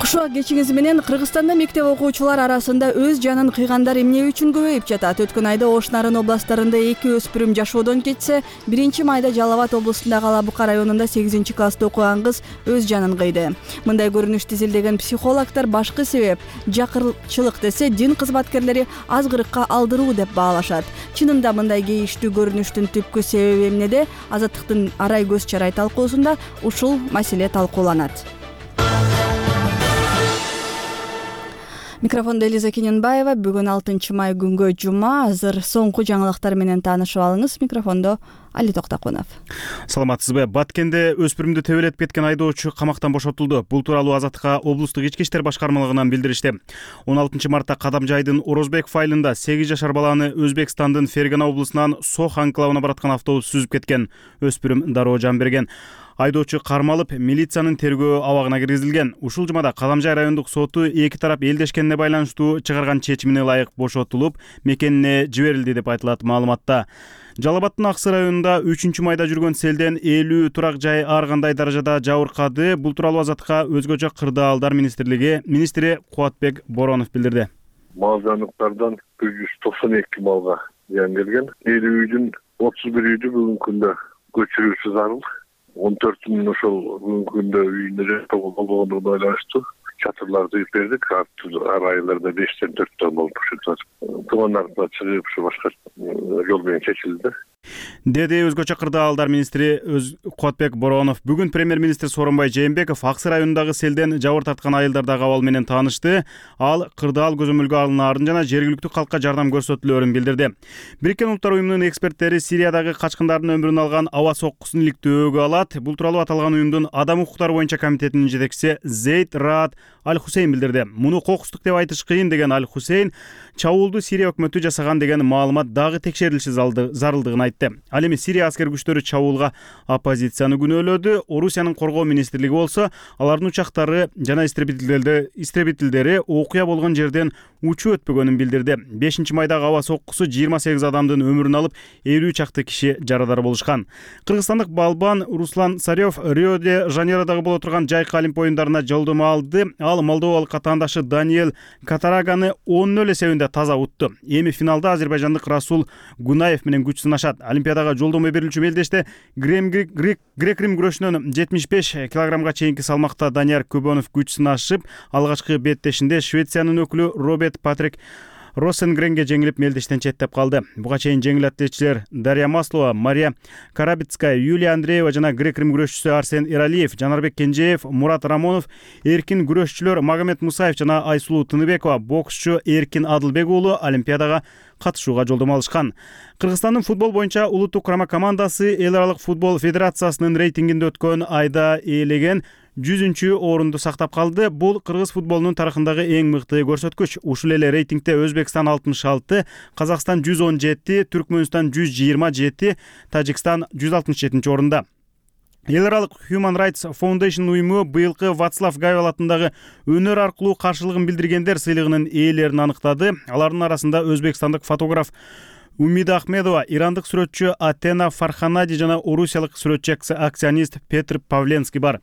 Кушуак кечиңиз менен Кыргызстанда мектеп окуучулар арасында өз жанын кыйгандар эмне үчүн көбөйүп жатат? Өткөн айда Ош Нарын областарында 2 өспүрүм жашоодон кетсе, 1-майда Жалал Абад облусундагы Алабука районунда 8-класста окуган кыз өз жанын кыйды. Мындай көрүнүштү изилдеген психологдор башкы себеп жакырчылык десе, дин кызматкерлери азгырыкка алдыруу деп баалашат. Чынында мындай кейиштүү көрүнүштүн түпкү себеби эмнеде? Азаттыктын арай көз чарай талкуусунда ушул маселе талкууланат. Микрофондо Элиза Киненбаева. Бүгүн 6-май күнгө жума. Азыр соңку жаңылыктар менен таанышып алыңыз. Микрофондо Али Токтокунов. Саламатсызбы? Баткенде өспүрүмдү төбөлөтүп кеткен айдоочу камактан бошотулду. Бул тууралуу Азаттыкка облустук ички иштер башкармалыгынан билдиришти. 16-мартта Кадамжайдын Орозбек файлында 8 жашар баланы Өзбекстандын Фергана облусунан Сох анклавына бараткан автобус сүзүп кеткен. Өспүрүм дароо жан берген. Айдоочу кармалып, милициянын тергөө абагына киргизилген. Ушул жумада Кадамжай райондук соту эки тарап элдешкенине байланыштуу чыгарган чечимине ылайык бошотулуп, мекенине жиберилди деп айтылат маалыматта. Жалал Абадтын Аксы районунда 3-майда жүргөн селден 50 турак жай ар кандай даражада жабыркады. Бул тууралуу Азаттыкка өзгөчө кырдаалдар министри Кубатбек Боронов билдирди. Мал жаныктардан 192 малга зыян келген. 50 үйдүн 31 үйдү бүгүнкү күндө көчүрүүсү зарыл. 14 миң ошол бүгүнкү күндө үйүнө болгондугуна байланыштуу чатырларды үйүп бердик. Ар айларда 5-тен 4 болуп ушул тумандарды чыгып ушу башка жол менен чечилди. Деди өзгөчө кырдаалдар министри Кубатбек Боронов. Бүгүн премьер-министр Сооронбай Жээнбеков Аксы районундагы селден жабыр тарткан айылдардагы абал менен таанышты. Ал кырдаал көзөмөлгө алынаарын жана жергиликтүү калкка жардам көрсөтүлөөрүн билдирди. Бириккен Улуттар уюмунун эксперттери Сириядагы качкындардын өмүрүн алган аба соккусун иликтөөгө алат. Бул тууралуу аталган уюмдун адам укуктары боюнча комитетинин жетекчиси Зейд Раат Аль-Хусейн билдирди. Муну кокустук деп айтыш кыйын деген Аль-Хусейн чабуулду Сирия өкмөтү жасаган деген маалымат дагы текшерилиши зарылдыгын айтты. Ал эми Сирия аскер күчтөрү чабуулга оппозицияны күнөөлөдү. Орусиянын коргоо министрлиги болсо алардын учактары жана истребителдери окуя болгон жерден учуп өтпөгөнүн билдирди. 5-майдагы аба соккусу 28 адамдын өмүрүн алып, 50 чакты киши жарадар болушкан. Кыргызстандык балбан Руслан Сарёв Рио-де-Жанейродогу боло турган жайкы олимп оюндарына жолдомо алды. Ал молдовалык катаандашы Даниэль Катараганы 10-0 эсебинде таза утту. Эми финалда азербайжандык Расул Гунаев менен күч сынашат. Олимпиадага жолдомо берилүүчү мелдеште грек-рим күрөшүнөн 75 килограммга чейинки салмакта Данияр Көбөнов күч сынашып, алгачкы беттешинде Швециянын өкүлү Роберт Патрик Росенгренге жеңилип мелдештен четтеп калды. Буга чейин жеңил атлетчилер Дарья Маслова, Мария Карабицкая, Юлия Андреева жана грек-рим күрөшчүсү Арсен Иралиев, Жанарбек Кенжеев, Мурат Рамонов, эркин күрөшчүлөр Магомед Мусаев жана Айсулуу Тыныбекова, боксчу Эркин Адылбек уулу Олимпиадага катышууга жолдомо алышкан. Кыргызстандын футбол боюнча улуттук курама командасы Эл аралык футбол федерациясынын рейтингинде өткөн айда ээлеген 100-орунду сактап калды. Бул кыргыз футболунун тарыхындагы эң мыкты көрсөткүч. Ушул эле рейтингде Өзбекстан 66, Казакстан 117, Түркмөнстан 127, Тажикстан 167-орунда. Эл аралык Human Rights Foundation уюму быйылкы Вацлав Гавел атындагы өнөр аркылуу каршылыгын билдиргендер сыйлыгынын ээлерин аныктады. Алардын арасында өзбекстандык фотограф Умида Ахмедова, ирандык сүрөтчү Атена Фарханади жана орусиялык сүрөтчү акционист Петр Павленский бар.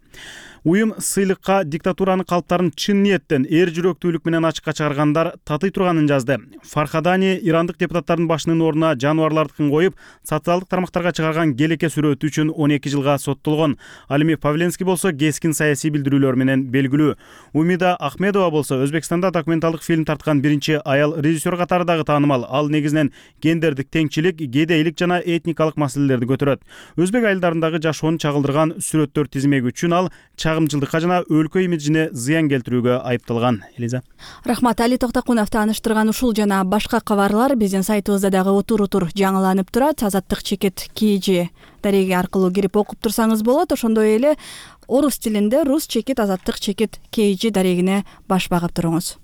Уюм сыйлыкка диктатуранын калыптарын чын ниеттен, эр жүрөктүүлүк менен ачыкка чыгаргандар татый турганын жазды. Фархадани ирандык депутаттардын башынын ордуна жаныбарлардыкын коюп, социалдык тармактарга чыгарган келеке сүрөтү үчүн 12 жылга соттолгон. Ал эми Павленский болсо кескин саясий билдирүүлөр менен белгилүү. Умида Ахмедова болсо Өзбекстанда документалдык фильм тарткан биринчи аял режиссер катары дагы таанымал. Ал негизинен гендердик теңчилик, кедейлик жана этникалык маселелерди көтөрөт. Өзбек айылдарындагы жашоонун чагылдырган сүрөттөр тизмеги үчүн ал чагымчылдыкка жана өлкө имиджине зыян келтирүүгө айыпталган. Элиза. Рахмат, Али Токтокунов тааныштырган ушул жана башка кабарлар биздин сайтыбызда дагы утур-утур жаңыланып турат. Азаттык чекит KG дареги аркылуу кирип окуп турсаңыз болот. Ошондой эле орус тилинде рус чекит азаттык чекит KG дарегине баш багып туруңуз.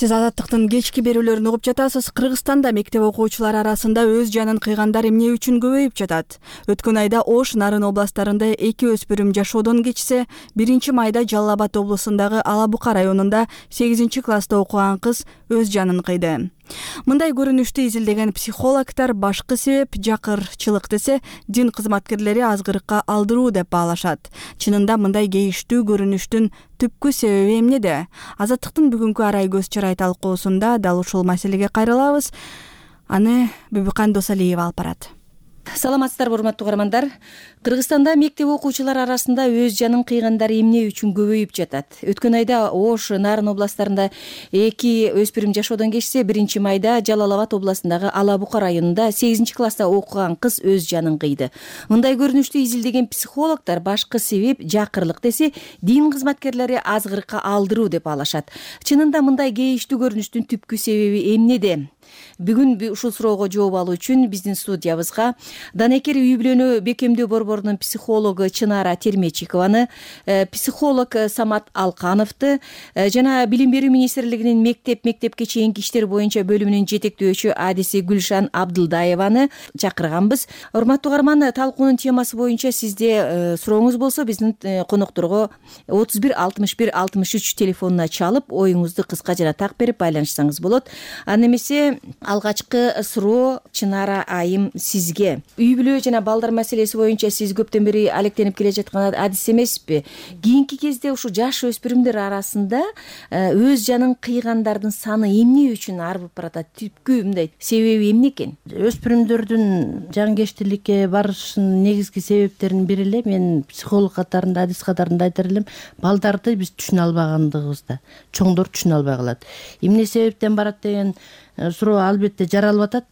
Сиз азаттыктын кечки берүүлөрүн угуп жатасыз. Кыргызстанда мектеп окуучулары арасында өз жанын кыйгандар эмне үчүн көбөйүп жатат? Өткөн айда Ош, Нарын областарында 2 өспүрүм жашоодон кечсе, 1 майда Жалал Абад облусундагы Ала Бука районунда 8-класста окуган кыз өз жанын кыйды. Мындай көрүнүштү изилдеген психологдор башкы себеп жакырчылык десе, дин кызматкерлери азгырыкка алдыруу деп баалашат. Чынында мындай кейиштүү көрүнүштүн түпкү себеби эмнеде? Азаттыктын бүгүнкү арай көз чырай талкуусунда дал ушул маселеге кайрылабыз. Аны Бүбүкан Досалиева алып барат. Саламатсыздарбы, урматтуу угармандар. Кыргызстанда мектеп окуучулары арасында өз жанын кыйгандар эмне үчүн көбөйүп жатат? Өткөн айда Ош, Нарын областарында 2 өспүрүм жашоодон кечсе, 1-майда Жалал Абад областындагы Ала Бука районунда 8-класста окуган кыз өз жанын кыйды. Мындай көрүнүштү изилдеген психологдор башкы себеп жакырлык десе, дин кызматкерлери азгырыкка алдыруу деп алышат. Чынында мындай кейиштүү көрүнүштүн түпкү себеби эмнеде? Бүгүн ушул суроого жооп алуу үчүн биздин студиябызга Данекер үй бүлөнү бекемдөө борборунун психологу Чынара Термечикованы, психолог Самат Алкановду жана Билим берүү министрлигинин мектепке чейинки иштер боюнча бөлүмүнүн жетектөөчү адиси Гүлшан Абдылдаеваны чакырганбыз. Урматтуу угарман, талкуунун темасы боюнча сизде сурооңуз болсо биздин конокторго 31 61 63 телефонуна чалып, оюңузду кыска жана так берип байланышсаңыз болот. Аны эмесе алгачкы суроо Чынара айым сизге. Үй бүлө жана балдар маселеси боюнча сиз көптөн бери алектенип келе жаткан адис эмеспи? Кийинки кезде ушу жаш өспүрүмдөр арасында өз жанын кыйгандардын саны эмне үчүн арбып баратат? Түпкү мындай себеби эмне экен? Өспүрүмдөрдүн жанкечтиликке барышынын негизги себептеринин бири эле мен психолог катарында, адис катарында айтар элем, балдарды биз түшүнө албагандыгыбызда, чоңдор түшүнө албай калат. Эмне себептен барат деген суроо албетте жаралып атат.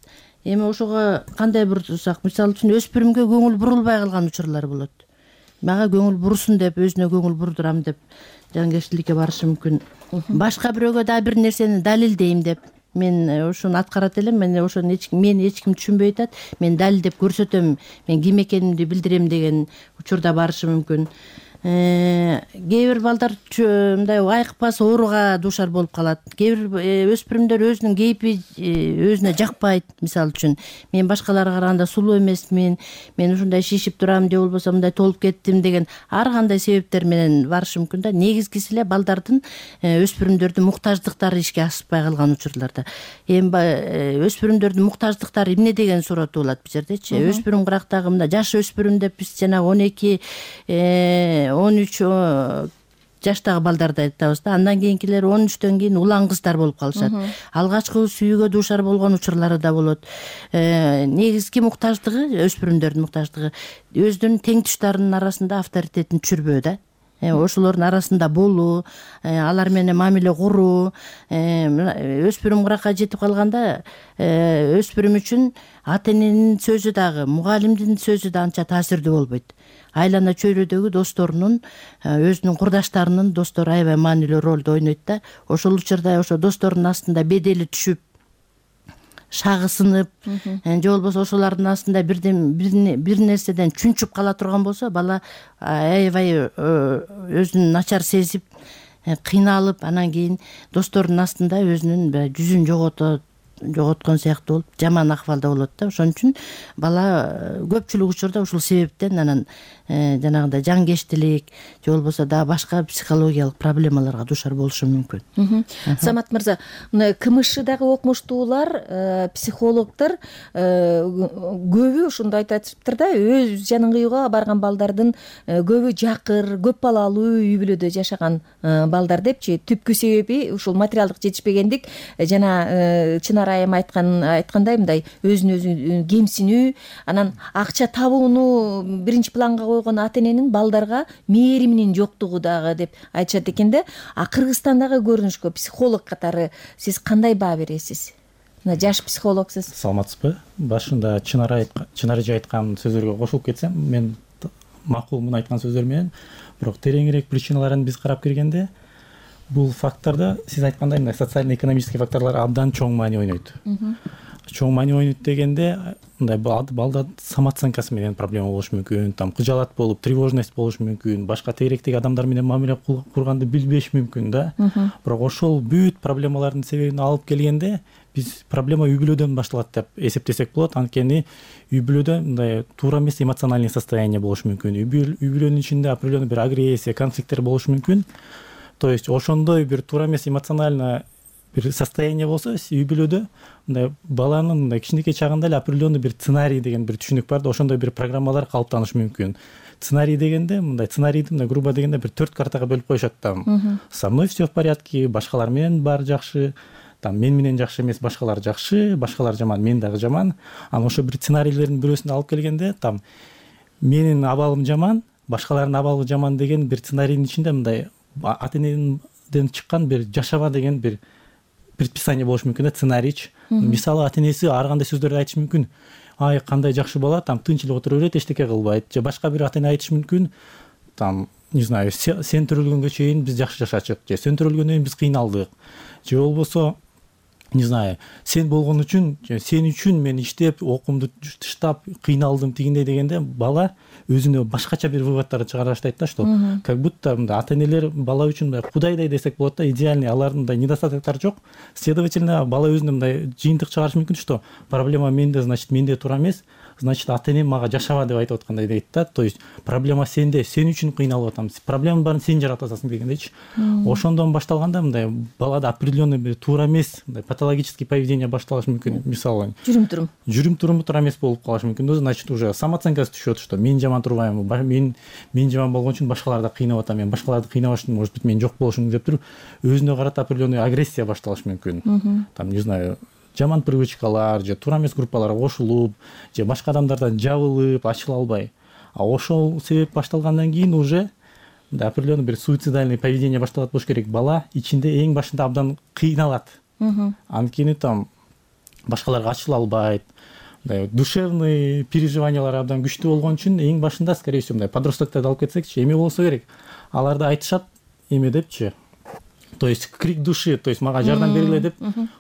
Эми ошого кандай бурсак, мисалы үчүн өспүрүмгө көңүл бурулбай калган учурлар болот. Мага көңүл бурусун деп, өзүнө көңүл бурдурам деп жанкечтиликке барышы мүмкүн. Башка бирөөгө да бир нерсени далилдейм деп мен ошону аткарат элем. Мен ошону мени эч ким түшүнбөй атат. Мен далилдеп көрсөтөм, мен ким экенимди билдирем деген учурда барышы мүмкүн. Кээ бир балдар мындай айкпас ооруга дуушар болуп калат. Кээ бир өспүрүмдөр өзүнүн кейпи өзүнө жакпайт. Мисалы үчүн мен башкаларга караганда сулуу эмесмин, мен ушундай шишип турам же болбосо мындай толуп кеттим деген ар кандай себептер менен барышы мүмкүн да. Негизгиси эле балдардын өспүрүмдөрдүн муктаждыктары ишке ашпай калган учурларда. Эми өспүрүмдөрдүн муктаждыктары эмне деген суроо болот бул жердечи. Өспүрүм кырактагы мындай жаш өспүрүм деп биз жанагы 12 13 жаштагы балдарды айтабыз да. Андан кийинкилер 13төн кийин улан кыздар болуп калышат. Алгачкы сүйүүгө дуушар болгон учурлары да болот. Негизги муктаждыгы, өспүрүмдөрдүн муктаждыгы өзүнүн теңтуштарынын арасында авторитетин түшүрбөө да. Ошолордун арасында болуу, алар менен мамиле куруу. Өспүрүм кыракка жетип калганда өспүрүм үчүн ата эненин сөзү дагы, мугалимдин сөзү да анча таасирдүү болбойт. Айлана чөйрөдөгү досторунун, өзүнүн курдаштарынын достору аябай маанилүү ролду ойнойт да. Ошол учурда ошо досторунун астында бедели түшүп, шагысынып, же болбосо ошолордун астында бир нерседен чүнчүп кала турган болсо, бала аябай өзүн начар сезип, кыйналып анан кийин досторунун астында өзүнүн жүзүн жоготкон сыяктуу болуп жаман акыбалда болот да. Ошон үчүн бала көпчүлүк учурда ушул себептен анан жанагындай жаңкештилик же болбосо дагы башка психологиялык проблемаларга дуушар болушу мүмкүн. Самат мырза, мына КМШдагы окумуштуулар, психологдор көбү ушунду айтышыптыр да, өз жанын кыюуга барган балдардын көбү жакыр, көп балалуу үй бүлөдө жашаган балдар депчи. Түпкү себеби ушул материалдык жетишпегендик, жана Чынар айым айткандай мындай өзүн өзү кемсинүү, анан акча табууну биринчи планга койгон ата эненин балдарга мээриминин жоктугу дагы деп айтышат экен да. Кыргызстандагы көрүнүшкө психолог катары сиз кандай баа бересиз? Мына жаш психологсуз. Саламатсызбы? Башында Чынар эже айткан сөздөргө кошулуп кетсем, мен макул муну айткан сөздөр менен, бирок тереңирээк причиналарын биз карап киргенде, бул фактордо сиз айткандай мындай социально-экономический факторлор абдан чоң маани ойнойт. Чоң маани ойнойт дегенде, мындай балда самооценкасы менен проблема болушу мүмкүн, там кыжаалат болуп, тревожность болушу мүмкүн, башка тегеректеги адамдар менен мамиле курганды билбеш мүмкүн да. Бирок ошол бүт проблемалардын себебин алып келгенде, биз проблема үй бүлөдөн башталат деп эсептесек болот. Анткени үй бүлөдө мындай туура эмес эмоциональный состояние болушу мүмкүн. Үй бүлөнүн ичинде определенный бир агрессия, конфликттер болушу мүмкүн. То есть ошондой бир туура эмес эмоционально бир состояние болсо, үй бүлөдө мындай баланын мындай кичинекей чагында эле определенный бир сценарий деген бир түшүнүк бар да, ошондой бир программалар калыптанышы мүмкүн. Сценарий дегенде мындай сценарийди мындай грубо дегенде бир 4 картага бөлүп коюшат там. Со мной все в порядке, башкалар менен баары жакшы, там мен менен жакшы эмес, башкалар жакшы, башкалар жаман, мен дагы жаман. Анан ошо бир сценарийлердин бирөөсүндө алып келгенде, там менин абалым жаман, башкалардын абалы жаман деген бир сценарийдин ичинде мындай ата энеден чыккан бир жашаба деген бир предписание болушу мүмкүн да, сценарийч. Мисалы ата энеси ар кандай сөздөрдү айтышы мүмкүн. Ай, кандай жакшы бала, там тынч эле отура берет, эчтеке кылбайт. Же башка бир ата эне айтышы мүмкүн, там, не знаю, сен төрөлгөнгө чейин биз жакшы жашачык, же сен төрөлгөндөн кийин биз кыйналдык. Же болбосо, не знаю, сен болгон үчүн, сен үчүн мен иштеп, окуумду таштап, кыйналдым тигиндей дегенде, бала өзүнө башкача бир выводдарды чыгара баштайт да, что как будто ата энелер бала үчүн мындай кудайдай десек болот да, идеальный, алардын мындай недостатоктору жок. Следовательно, бала өзүнө мындай жыйынтык чыгарышы мүмкүн, что проблема менде, значит, менде туура эмес, значит, ата энем мага жашаба деп айтып аткандай дейт да. То есть проблема сенде, сен үчүн кыйналып атам, проблеманын баарын сен жаратып атасың дегендейчи. Ошондон башталганда мындай балада определенный бир туура эмес, мындай патологический поведение башталышы мүмкүн. Мисалы, жүрүм-туруму туура эмес болуп калышы мүмкүн. Значит, уже самооценкасы түшөт, что мен жаман турбайм, мен жаман болгон үчүн башкаларды кыйнап атам, мен башкаларды кыйнабаш үчүн, может быть, мен жок болушум деп туруп, өзүнө карата определенный агрессия башталышы мүмкүн. Там, не знаю, жаман привычкалар, же туура эмес группаларга кошулуп, же башка адамдардан жабылып, ачыла албай. А ошол себеп башталгандан кийин уже определенный бир суицидальный поведение башталат болуш керек. Бала ичинде эң башында абдан кыйналат. Анткени там башкаларга ачыла албайт. Душевный переживаниялар абдан күчтүү болгон үчүн эң башында, скорее всего, подростокторду алып кетсекчи, эме болсо керек. Аларды айтышат эме депчи. То есть крик души, то есть мага жардам бергиле деп.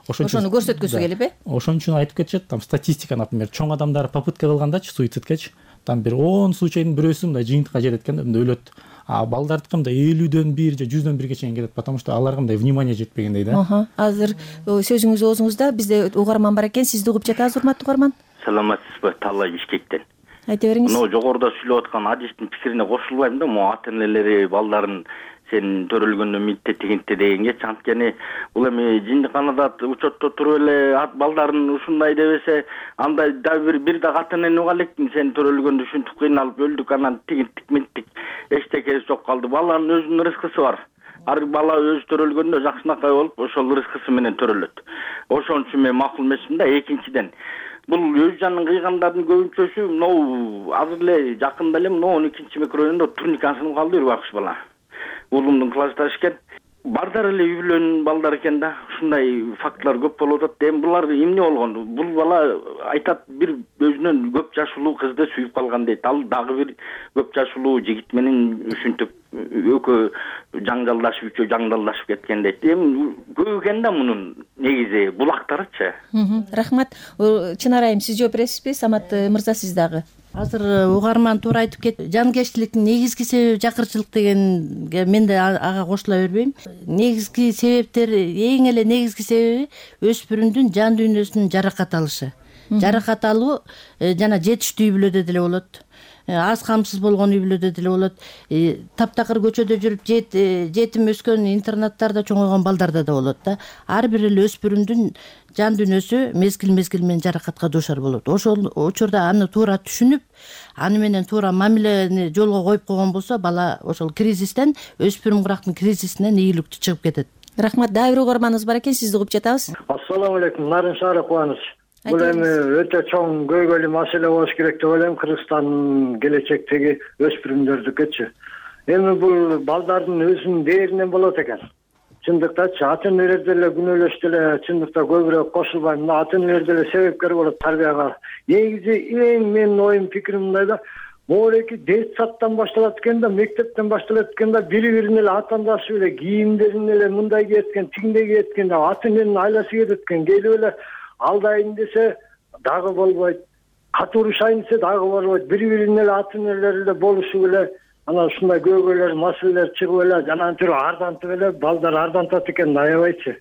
Ошону көрсөткүсү келип, Ошон үчүн айтып кетишет, там статистика, например, чоң адамдар попытка кылгандачы суицидкечи, там бир 10 случайдын бирөөсү мындай жыйынтыкка жетет экен, мындай өлөт. А балдардыкы мындай 50дөн 1 же 100дөн 1 чейин келет, потому что аларга мындай внимание жетпегендей да. Азыр сөзүңүз оозуңузда, бизде угарман бар экен, сизди угуп жатабыз, урматтуу угарман. Саламатсызбы, Талай Бишкектен. Айта бериңиз. Мына жогоруда сүйлөп аткан адистин пикирине кошулбайм да, могу ата энелери балдарын сен төрөлгөндө митте тигинте дегенге. Анткени бул эми жиндиканада учетто туруп эле балдарын ушундай дебесе, андай да бир да ата энени уга элекмин, сен төрөлгөндө ушинтип кыйналып өлдүк, анан тигинтик минтик эчтекеси жок калды. Баланын өзүнүн рызкысы бар. Ар бала өзү төрөлгөндө жакшынакай болуп, ошол рызкысы менен төрөлөт. Ошон үчүн мен макул эмесмин да. Экинчиден, бул өз жанын кыйгандардын көбүнчөсү мынау азыр эле жакында эле мынау 12-чи микрорайондо турникасын калды бир бакыш бала. Уулумдун классташы экен. Бардар эле үй бүлөнүн балдары экен да. Ушундай фактылар көп болуп атат. Эми булар эмне болгон? Бул бала айтат, бир өзүнөн көп жашылуу кызды сүйүп калган дейт. Ал дагы бир көп жашылуу жигит менен ушинтип экөө жаң жаңжалдашып үчөө жаңдалдашып кеткен дейт. Эми көп экен да мунун негизи булактарычы. Рахмат. Чынар айым, сиз жооп бересизби? Самат мырза, сиз дагы. азыр угарман туура айтып кетти. Жанкечтиликтин негизги себеби жакырчылык дегенге мен да ага кошула бербейм. Негизги себептери, эң эле негизги себеби өспүрүмдүн жан дүйнөсүнүн жаракат алышы. Жаракат алуу жана жетиштүү үй бүлөдө деле болот. Аз камсыз болгон үй бүлөдө деле болот. Таптакыр көчөдө жүрүп жетим өскөн, интернаттарда чоңойгон балдарда да болот да. Ар бир эле өспүрүмдүн жан дүйнөсү мезгил менен жаракатка дуушар болот. Ошол учурда аны туура түшүнүп, аны менен туура мамилени жолго коюп койгон болсо, бала ошол кризистен, өспүрүм кырактын кризисинен ийгиликтүү чыгып кетет. Рахмат. Дагы бир угарманыбыз бар экен, сизди угуп жатабыз. Ассаламу алейкум, Нарын Шаары Кубаныч. Бул эми өтө чоң көйгөйлүү маселе болуш керек деп ойлойм, Кыргызстандын келечектеги өспүрүмдөрдүкөчү. Эми бул балдардын өзүнүн дээринен болот экен. Чындыктачы ата-энелер деле күнөөлөш деле чындыкта көбүрөөк кошулбайм. Ата-энелер деле себепкер болот тарбияга. Негизи эң менин оюм, пикирим мындай да, могулеки детсадтан башталат экен да, мектептен башталат экен да, бири-бирин эле атаандашып эле кийимдерин эле мындай кийеткен, тигиндей кийеткен да, ата-эненин айласы кететкен. Келип эле алдайын десе дагы болбойт, катуурушайын десе дагы болбойт. Бири-бирин эле ата-энелер эле болушуп эле анан ушундай көйгөйлөр, маселелер чыгып эле жанагы түрү ардантып эле балдар ардантат экен, аябайчы.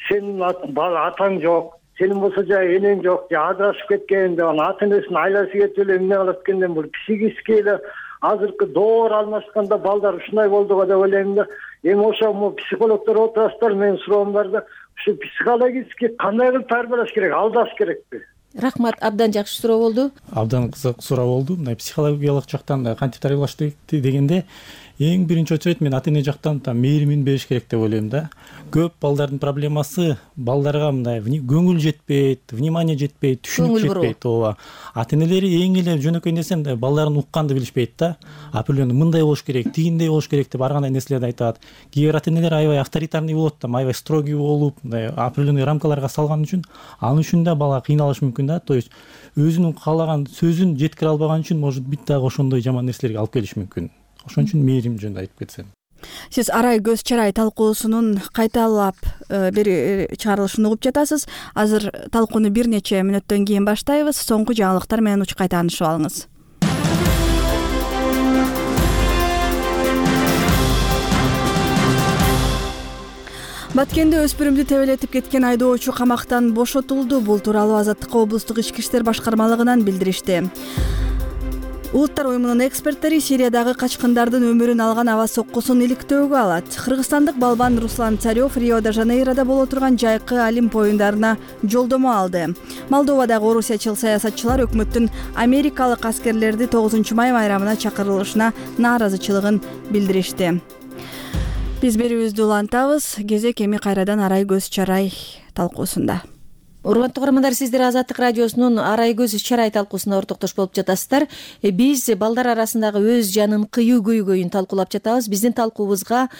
Сенин атаң жок, сенин болсо жай энең жок, же ажырашып кеткен деп анан ата-энесинин айласы кетип эле эмне кылат экенден бул психически эле азыркы доор алмашканда балдар ушундай болду го деп ойлойм да. Эми ошо психологдор отурасыздар, менин суроом бар да, ушу психологически кандай кылып тарбиялаш керек, алдаш керекпи? Рахмат. Абдан жакшы суроо болду. Абдан кызык суроо болду. Мындай психологиялык жактан кантип тарбиялаш дегенде эң биринчи очойт мен ата-эне жактан мээримин бериш керек деп ойлойм да. Көп балдардын проблемасы балдарга мындай көңүл жетпейт, внимание жетпейт, түшүнүк жетпейт. Ооба. Ата-энелери эң эле жөнөкөй нерсе балдарын укканды билишпейт да. Определенный мындай болуш керек, тигиндей болуш керек деп ар кандай нерселерди айтат. Кээ бир ата-энелер аябай авторитарный болот да, аябай строгий болуп, определенный рамкаларга салган үчүн, анын үчүн да бала кыйналышы мүмкүн да. То есть өзүнүн каалаган сөзүн жеткире албаган үчүн, может быть, дагы ошондой жаман нерселерге алып келиши мүмкүн. Ошон үчүн мээрим жөнүндө айтып кетсем. Сиз арай көз чарай талкуусунун кайталап чыгарылышын угуп жатасыз. Азыр талкууну бир нече мүнөттөн кийин баштайбыз. Соңку жаңылыктар менен учкай таанышып алыңыз. Баткенде өспүрүмдү тебелетип кеткен айдоочу камактан бошотулду. Бул тууралуу Азаттыкка облустук ички иштер башкармалыгынан билдиришти. Улуттар уюмунун эксперттери Сириядагы качкындардын өмүрүн алган аба соккусун иликтөөгө алат. Кыргызстандык балбан Руслан Царев Рио-де-Жанейрода боло турган жайкы Олимп оюндарына жолдомо алды. Молдовадагы орусиячыл саясатчылар өкмөттүн америкалык аскерлерди 9 май майрамына чакырылышына нааразычылыгын билдиришти. Биз берүүбүздү улантабыз. Кезек эми кайрадан арай көз чарай талкуусунда. Урматтуу угармандар, сиздер Азаттык радиосунун арай көз чарай талкуусуна ортоктош болуп жатасыздар. Биз балдар арасындагы өз жанын кыюу көйгөйүн талкуулап жатабыз. Биздин талкуубузга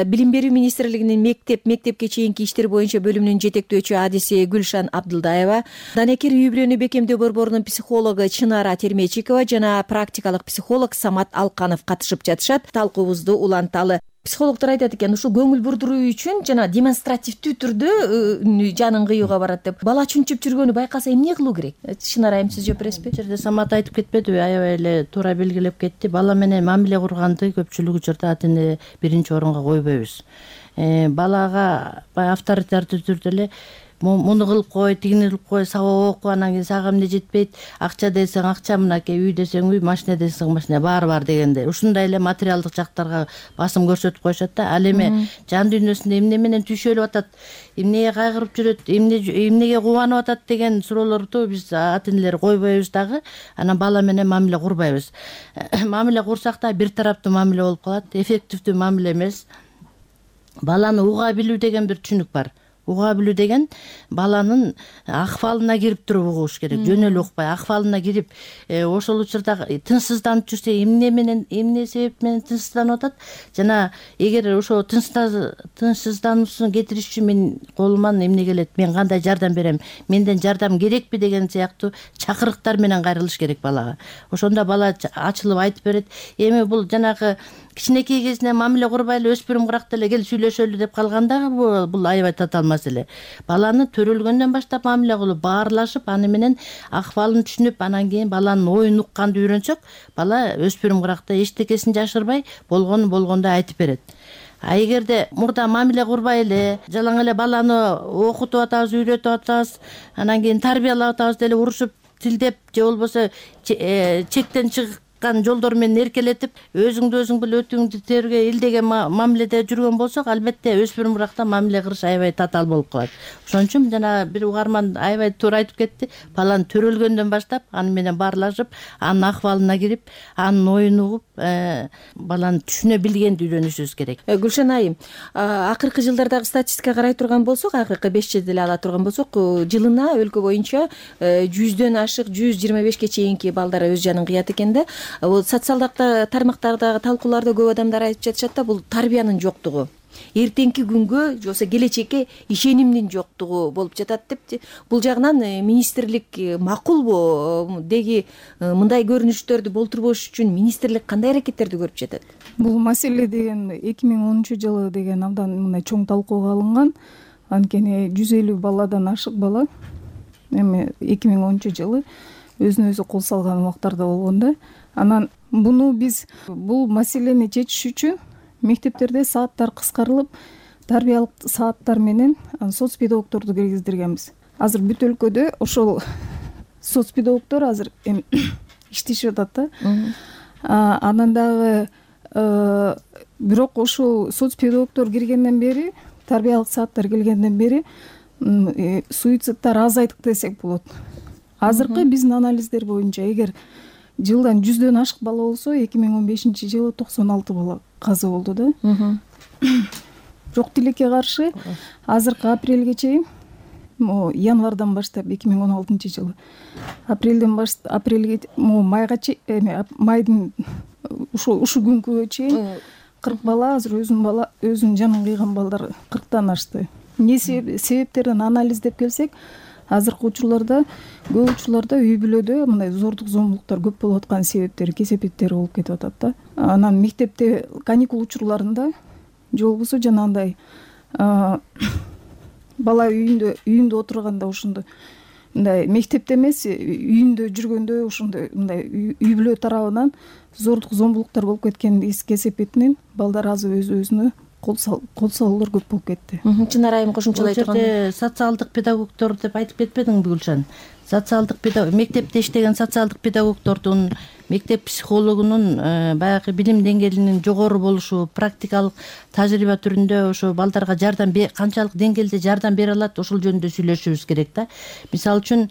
Билим берүү министрлигинин мектепке чейинки иштер боюнча бөлүмүнүн жетектөөчү адиси Гүлшан Абдылдаева, Данекер үй бүлөнү бекемдөө борборунун психологу Чынара Термечикова жана практикалык психолог Самат Алканов катышып жатышат. Талкуубузду уланталы. Психологдор айтат экен, ушул көңүл бурдуруу үчүн жана демонстративдүү түрдө жанын кыюуга барат деп. Бала чүнчүп жүргөнү байкаса эмне кылуу керек? Чынар айым, сиз жооп бересизби? Жерде Самат айтып кетпедиби? Аябай эле туура белгилеп кетти. Бала менен мамиле курганды көпчүлүк учурда ата-эне биринчи орунга койбойбуз. Балага авторитардуу түрдө эле муну кылып кой, тигини кылып кой, сабак оку, анан кийин сага эмне жетпейт, акча десең акча, мынакей үй десең үй, машина десең машина, баары бар дегенде. Ушундай эле материалдык жактарга басым көрсөтүп коюшат да. Ал эми жан дүйнөсүндө эмне менен түйшөлүп атат, эмнеге кайгырып жүрөт, эмнеге кубанып атат деген суроолорду биз ата-энелер койбойбуз дагы. Анан бала менен мамиле курбайбыз. Мамиле курсак да бир тараптуу мамиле болуп калат, эффективдүү мамиле эмес. Баланы уга билүү деген бир түшүнүк бар. уга билүү деген баланын акыбалына кирип туруп угуш керек, жөн эле укпай акыбалына кирип ошол учурда тынчсызданып жүрсө эмне себеп менен тынчсызданып атат жана эгер ошо тынчсыздануусун кетириш үчүн мен колуман эмне келет, мен кандай жардам берем, менден жардам керекпи деген сыяктуу чакырыктар менен кайрылыш керек балага. Ошондо бала ачылып айтып берет. Эми бул жанагы кичинекей кезинен мамиле курбай эле өспүрүм кыракта эле кел сүйлөшөлү деп калганда бул аябай татаал маселе. Баланы төрөлгөндөн баштап мамиле кылып, баарлашып, аны менен акыбалын түшүнүп, анан кийин баланын оюн укканды үйрөнсөк, бала өспүрүм кыракта эчтекесин жашырбай, болгондой айтып берет. А эгерде мурда мамиле курбай эле, жалаң эле баланы окутуп атабыз, үйрөтүп атабыз, анан кийин тарбиялап атабыз деле урушуп, тилдеп же болбосо чектен чыккан жолдор менен эркелетип, өзүңдү өзүң бил өтүңдү терге илдеген мамиледе жүргөн болсок, албетте өспүрүм кыракта мамиле кылыш аябай татаал болуп калат. Ошон үчүн жана бир угарман аябай туура айтып кетти. Баланы төрөлгөндөн баштап аны менен баарлашып, анын акыбалына кирип, анын оюн угуп, баланы түшүнө билгенди үйрөнүшүбүз керек. Гүлшан айым, акыркы жылдардагы статистикага карай турган болсок, акыркы 5 жылды эле ала турган болсок, жылына өлкө боюнча 100дөн ашык 125ке чейинки балдар өз жанын кыят экен да. Бул социалдык тармактардагы талкууларда көп адамдар айтып жатышат да, бул тарбиянын жоктугу, эртеңки күнгө же болбосо келечекке ишенимдин жоктугу болуп жатат деп. Бул жагынан министрлик макулбу? Деги мындай көрүнүштөрдү болтурбош үчүн министрлик кандай аракеттерди көрүп жатат? Бул маселе деген 2010-жылы деген абдан мындай чоң талкууга алынган. Анткени 150 баладан ашык бала эми 2010-жылы өзүнө өзү кол салган убактарда болгон да. Анан буну биз бул маселени чечиш үчүн мектептерде сааттар кыскарылып, тарбиялык сааттар менен соц педагогдорду киргиздиргенбиз. Азыр бүт өлкөдө ошол соц педагогдор азыр эми иштешип атат да. Анан дагы бирок ошол соц педагогдор киргенден бери, тарбиялык сааттар келгенден бери суицидтар азайдык десек болот. Азыркы биздин анализдер боюнча эгер жылдан 100дөн ашык бала болсо, 2015-жылы 96 бала каза болду да. Бирок тилекке каршы азыркы апрелге чейин, январдан баштап 2016-жылы апрелден баштап апрелге майга чейин, майдын ушу күнгө чейин 40 бала азыр өзүнүн жанын кыйган балдар 40тан ашты. Эмне себептерин анализдеп келсек, азыркы учурларда көп учурларда үй бүлөдө мындай зордук зомбулуктар көп болуп аткан себептери, кесепеттери болуп кетип атат да. Анан мектепте каникул учурларында же болбосо жанагындай бала үйүндө отурганда ошондой мындай мектепте эмес, үйүндө жүргөндө ошондой мындай үй бүлө тарабынан зордук зомбулуктар болуп кеткенин кесепетинен балдар азыр өз-өзүнө кол салуулар көп болуп кетти. Чынар айым кошумчалай турган. Социалдык педагогдор деп айтып кетпедиңби Гүлшан? Социалдык педагог, мектепте иштеген социалдык педагогдордун, мектеп психологунун баягы билим деңгээлинин жогору болушу, практикалык тажрыйба түрүндө ошо балдарга жардам канчалык деңгээлде жардам бере алат, ошол жөнүндө сүйлөшүбүз керек да. Мисалы үчүн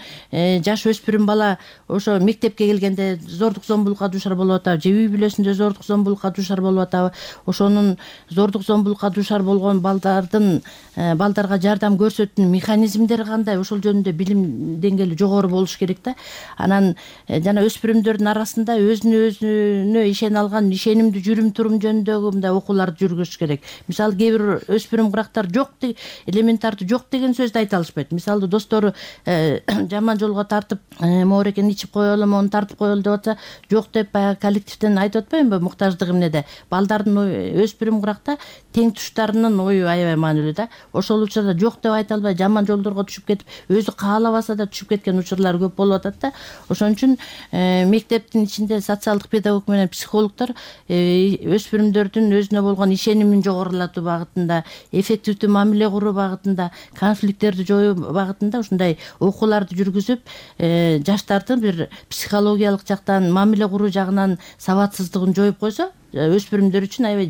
жаш өспүрүм бала ошо мектепке келгенде зордук зомбулукка дуушар болуп атабы, же үй бүлөсүндө зордук зомбулукка дуушар болуп атабы, ошонун зордук зомбулукка дуушар болгон балдарга жардам көрсөтүүнүн механизмдери кандай, ошол жөнүндө билим деңгээли жогору болуш керек да. Анан жана өспүрүмдөрдүн арасында өзүнө ишене алган ишенимдүү жүрүм турум жөнүндөгү мындай окууларды жүргүзүш керек. Мисалы кээ бир өспүрүм кырактар жок, элементарды жок деген сөздү айта алышпайт. Мисалы достору жаман жолго тартып, моорекени ичип коелу, мону тартып коелу деп атса, жок деп баягы коллективден айтып атпаймынбы, муктаждык эмнеде. Балдардын өспүрүм кыракта тең туштарынын ою аябай маанилүү да. Ошол учурда жок деп айта албай, жаман жолдорго түшүп кетип, өзү каалабаса да түшүп кеткен учурлар көп болуп атат да. Ошон үчүн мектептин ичинде социалдык педагог менен психологдор өспүрүмдөрдүн өзүнө болгон ишенимин жогорулатуу багытында, эффективдүү мамиле куруу багытында, конфликттерди жоюу багытында ушундай окууларды жүргүзүп, жаштардын бир психологиялык жактан, мамиле куруу жагынан сабатсыздыгын жоюп койсо, өспүрүмдөр үчүн аябай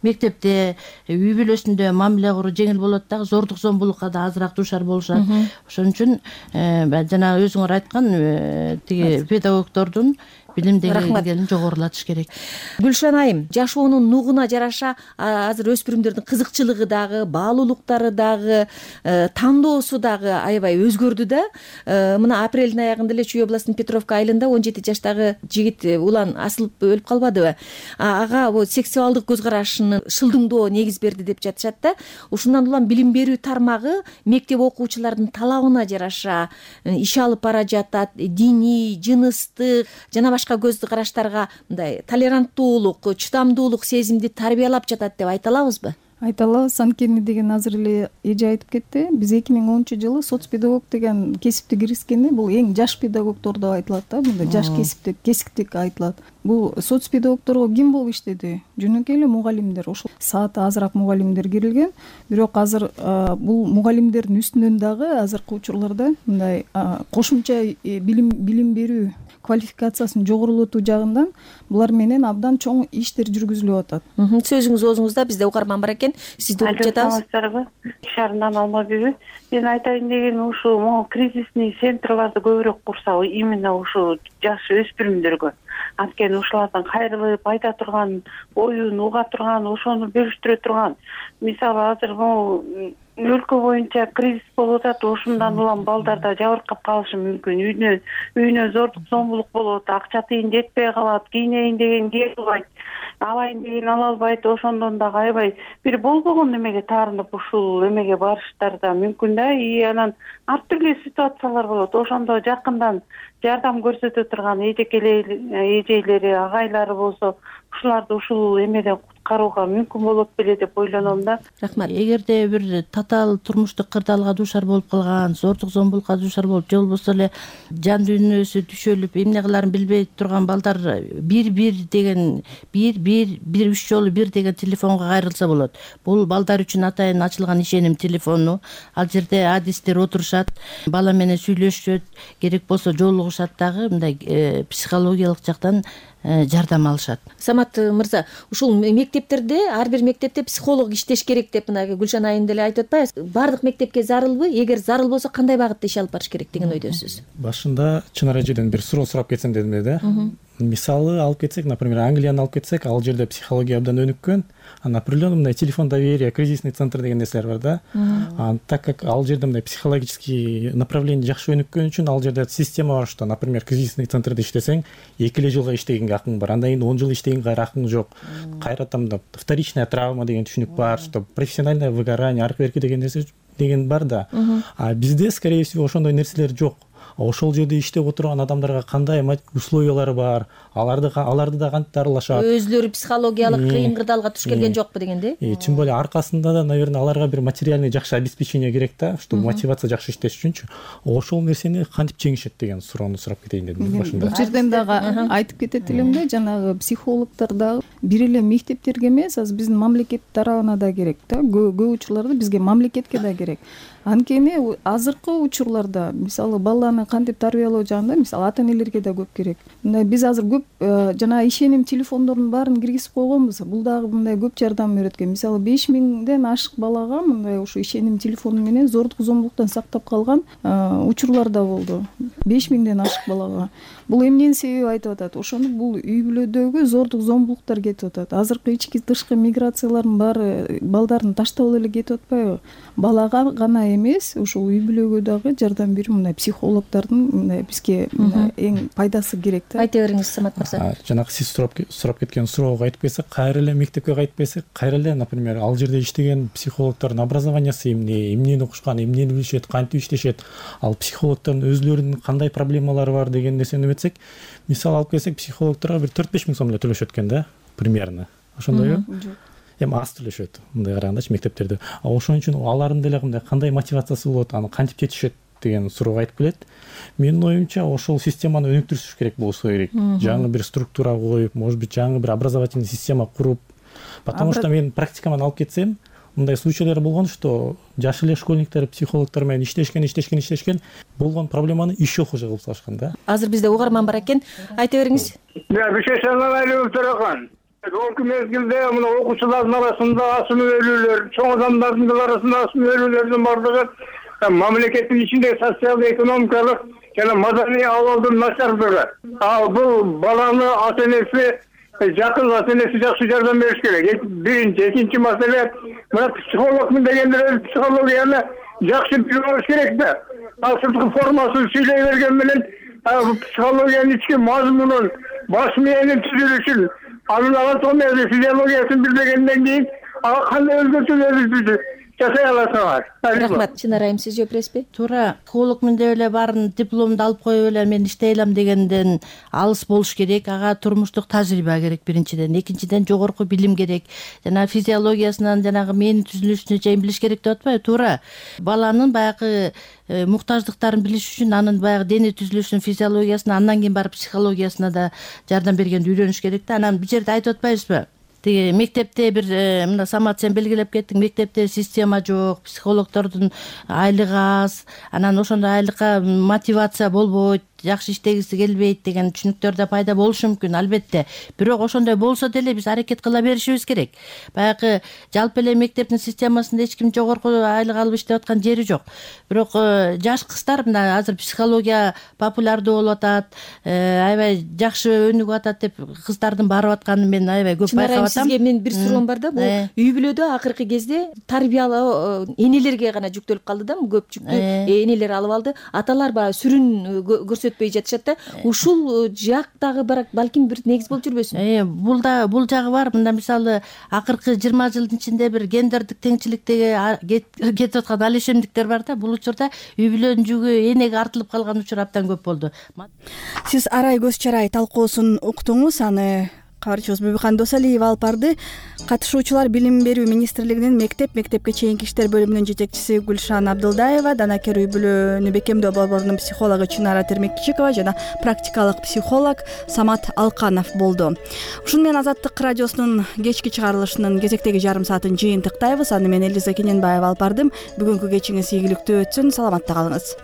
мектепте, үй бүлөсүндө мамиле куруу жеңил болот дагы, зордук зомбулукка да азыраак дуушар болушат. Ошон үчүн жана өзүңөр айткан тиги педагогдордун билим деңгээлин жогорулатыш керек. Гүлшан айым, жашоонун нугуна жараша азыр өспүрүмдөрдүн кызыкчылыгы дагы, баалуулуктары дагы, тандоосу дагы аябай өзгөрдү да. Мына апрелдин аягында эле Чүй областынын Петровка айылында 17 жаштагы жигит улан асылып өлүп калбадыбы? Ага сексуалдык көз карашынын шылдыңдоо негиз берди деп жатышат да. Ушундан улам билим берүү тармагы мектеп окуучулардын талабына жараша иш алып бара жатат. Диний, жыныстык жана башка көз караштарга мындай толеранттуулук, чыдамдуулук сезимди тарбиялап жатат деп айта алабызбы? Айта алабыз. Анткени деген азыр эле эже айтып кетти. Биз 2010-жылы соц педагог деген кесипти киргизгенде бул эң жаш педагогдор деп айтылат да. Мындай жаш кесиптик айтылат. Бул соц педагогдорго ким болуп иштеди? Жөнөкөй эле мугалимдер. Ошол сааты азыраак мугалимдер кирилген. Бирок азыр бул мугалимдердин үстүнөн дагы азыркы учурларда мындай кошумча билим берүү квалификациясын жогорулатуу жагынан булар менен абдан чоң иштер жүргүзүлүп атат. Сөзүңүз оозуңузда, бизде угарман бар экен. Сизди угуп жатабыз. Шаарынан Алмагүл. Мен айтайын дегеним ушу могу кризисный центрларды көбүрөөк курса, именно ушу жаш өспүрүмдөргө. Анткени ушулардан кайрылып айта турган, оюн уга турган, ошону бөлүштүрө турган. Мисалы азыр могу өлкө боюнча кризис болуп атат, ошундан улам балдар да жабыркап калышы мүмкүн. Үйүнө зордук зомбулук болот, акча тыйын жетпей калат, кийинейин деген кие албайт, алайын деген ала албайт. Ошондон дагы аябай бир болбогон эмеге таарынып ушул эмеге барыштар да мүмкүн да. Анан ар түрдүү ситуациялар болот. Ошондо жакындан жардам көрсөтө турган эжейлери, агайлары болсо, ушуларды ушул эмеден куткарууга мүмкүн болот беле деп ойлоном да. Рахмат. Эгерде бир татаал турмуштук кырдаалга дуушар болуп калган, зордук зомбулукка дуушар болуп, же болбосо эле жан дүйнөсү түшөлүп, эмне кыларын билбей турган балдар бир деген 3 жолу 1 деген телефонго кайрылса болот. Бул балдар үчүн атайын ачылган ишеним телефону. Ал жерде адистер отурушат, бала менен сүйлөшүшөт, керек болсо жолугушат дагы мындай психологиялык жактан жардам алышат. Самат мырза, ушул мектептерде, ар бир мектепте психолог иштеш керек деп мына Гүлшан айым деле айтып атпайбы? Бардык мектепке зарылбы? Эгер зарыл болсо кандай багытта иш алып барыш керек деген ойдосуз? Башында Чынар эжеден бир суроо сурап кетсем дедим да. Мисалы алып кетсек, например, Англияны алып кетсек, ал жерде психология абдан өнүккөн. Определенный мындай телефон доверия, кризисный центр деген нерселер бар да. Так как ал жерде мындай психологический направление жакшы өнүккөн үчүн ал жерде система бар, что, например, кризисный центрде иштесең, 2 жылга иштегенге акың бар. Андан кийин 10 жыл иштегенге акың жок. Кайрадан вторичная травма деген түшүнүк бар, что профессиональное выгорание, аркы берки деген нерсе деген бар да. А бизде, скорее всего, ошондой нерселер жок. Ошол жерде иштеп отурган адамдарга кандай условиялары бар, аларды да кантип дарылашат, өзлөрү психологиялык кыйын кырдаалга туш келген жокпу дегенде. Тем более аркасында да, наверное, аларга бир материальный жакшы обеспечение керек да, чтобы мотивация жакшы иштеш үчүнчү. Ошол нерсени кантип жеңишет деген суроону сурап кетейин дедим башында. Бул жерден дагы айтып кетет элем да, жанагы психологдор дагы бир эле мектептерге эмес, азыр биздин мамлекет тарабына да керек да. Көп учурларда бизге мамлекетке да керек. Анткени азыркы учурларда мисалы баланы кантип тарбиялоо жагында мисалы ата энелерге да көп керек. Мындай биз азыр көп жана ишеним телефондордун баарын киргизип койгонбуз. Бул дагы мындай көп жардам берет экен. Мисалы 5000ден ашык балага мындай ушу ишеним телефону менен зордук зомбулуктан сактап калган учурлар да болду. 5000ден ашык балага. Бул эмненин себеби айтып атат? Ошону бул үй бүлөдөгү зордук зомбулуктар кетип атат. Азыркы ички тышкы миграциялардын баары балдарын таштап эле кетип атпайбы? Балага гана эмес, ушул үй бүлөгө дагы жардам берүү мындай психологдордун мындай бизге эң пайдасы керек да. Айта бериңиз, Самат мырза. Жанагы сиз сурап кеткен суроого кайтып келсек, кайра эле мектепке кайтып келсек, кайра эле, например, ал жерде иштеген психологдордун образованиясы эмнени окушкан, эмнени билишет, кантип иштешет, ал психологдордун өзлөрүнүн кандай проблемалары бар деген нерсени эметсек, мисалы алып келсек, психологдорго бир 4-5 миң сом эле төлөшөт экен да, примерно. Ошондойбу? Эми аз төлөшөт, мындай карагандачы мектептерде. Ошон үчүн алардын деле мындай кандай мотивациясы болот, аны кантип жетишет деген суроого айтып келет. Менин оюмча, ошол системаны өнүктүрүш керек болсо керек. Жаңы бир структура коюп, может быть, жаңы бир образовательный система куруп. Потому что мен практикаман алып кетсем, мындай случайлар болгон, что жаш эле школьниктер психологдор менен иштешкен, болгон проблеманы еще хуже кылып салышкан да. Азыр бизде угарман бар экен. Айта бериңиз. Бишесалалайым турган. Ошол мезгилде мына окуучулардын арасында асыл өлүүлөр, чоң адамдардын арасында асыл өлүүлөрдүн бардыгы мамлекеттин ичиндеги социалдык экономикалык жана маданий абалдын начардыгы. Бул баланы ата энеси жакын ата энеси жакшы жардам бериш керек. Биринчи, экинчи маселе мына психологмун дегендер психологияны жакшы билип алыш керек да. Ал сырткы формасын сүйлөй берген менен психологиянын ички мазмунун, баш мээнин түзүлүшүн, анын анатомиясы, физиологиясын билбегенден кийин ага кандай өзгөртүүлөрдү жасай аласыңар. Рахмат. Чынара айым, сиз жооп бересизби? туура, психологмун деп эле баарын дипломду алып коюп эле мен иштей алам дегенден алыс болуш керек. Ага турмуштук тажрыйба керек биринчиден, экинчиден жогорку билим керек. Жана физиологиясынан жанагы мээнин түзүлүшүнө чейин билиш керек деп атпайбы? Туура. Баланын баягы муктаждыктарын билиш үчүн анын баягы дене түзүлүшүнүн физиологиясына, андан кийин барып психологиясына да жардам бергенди үйрөнүш керек да. Анан бул жерде айтып атпайбызбы? Тиги мектепте бир мына Самат сен белгилеп кеттиң, мектепте система жок, психологдордун айлыгы аз, анан ошондой айлыкка мотивация болбойт, жакшы иштегиси келбейт деген түшүнүктөр да пайда болушу мүмкүн, албетте. Бирок ошондой болсо деле биз аракет кыла беришибиз керек. Баягы жалпы эле мектептин системасында эч ким жогорку айлык алып иштеп аткан жери жок. Бирок жаш кыздар мына азыр психология популярдуу болуп атат, аябай жакшы өнүгүп атат деп кыздардын барып атканын мен аябай көп байкап атам. Сизге мен бир суроом бар да, бул үй бүлөдө акыркы кезде тарбиялоо энелерге гана жүктөлүп калды да, көп жүктү энелер алып алды. Аталар баягы сүрүн көрсөтпөй жатышат да. Ушул жактагы балким бир негиз болуп жүрбөсүн? Бул жагы бар. Мында мисалы акыркы 20 жылдын ичинде бир гендердик теңчиликтеги кетип аткан ал ишемдиктер бар да. Бул учурда үй бүлөнүн жүгү энеге артылып калган учур абдан көп болду. Сиз арай көз чарай талкуусун уктуңуз, аны кабарчыбыз Бүбүкан Досалиева алып барды. Катышуучулар Билим берүү министрлигинин мектепке чейинки иштер бөлүмүнүн жетекчиси Гүлшан Абдылдаева, Данакер үй бүлөнү бекемдөө борборунун психологу Чынара Термекчикова жана практикалык психолог Самат Алканов болду. Ушуну менен Азаттык радиосунун кечки чыгарылышынын кезектеги жарым саатын жыйынтыктайбыз. Аны мен Элиза Кененбаева алып бардым. Бүгүнкү кечиңиз ийгиликтүү өтсүн. Саламатта калыңыз.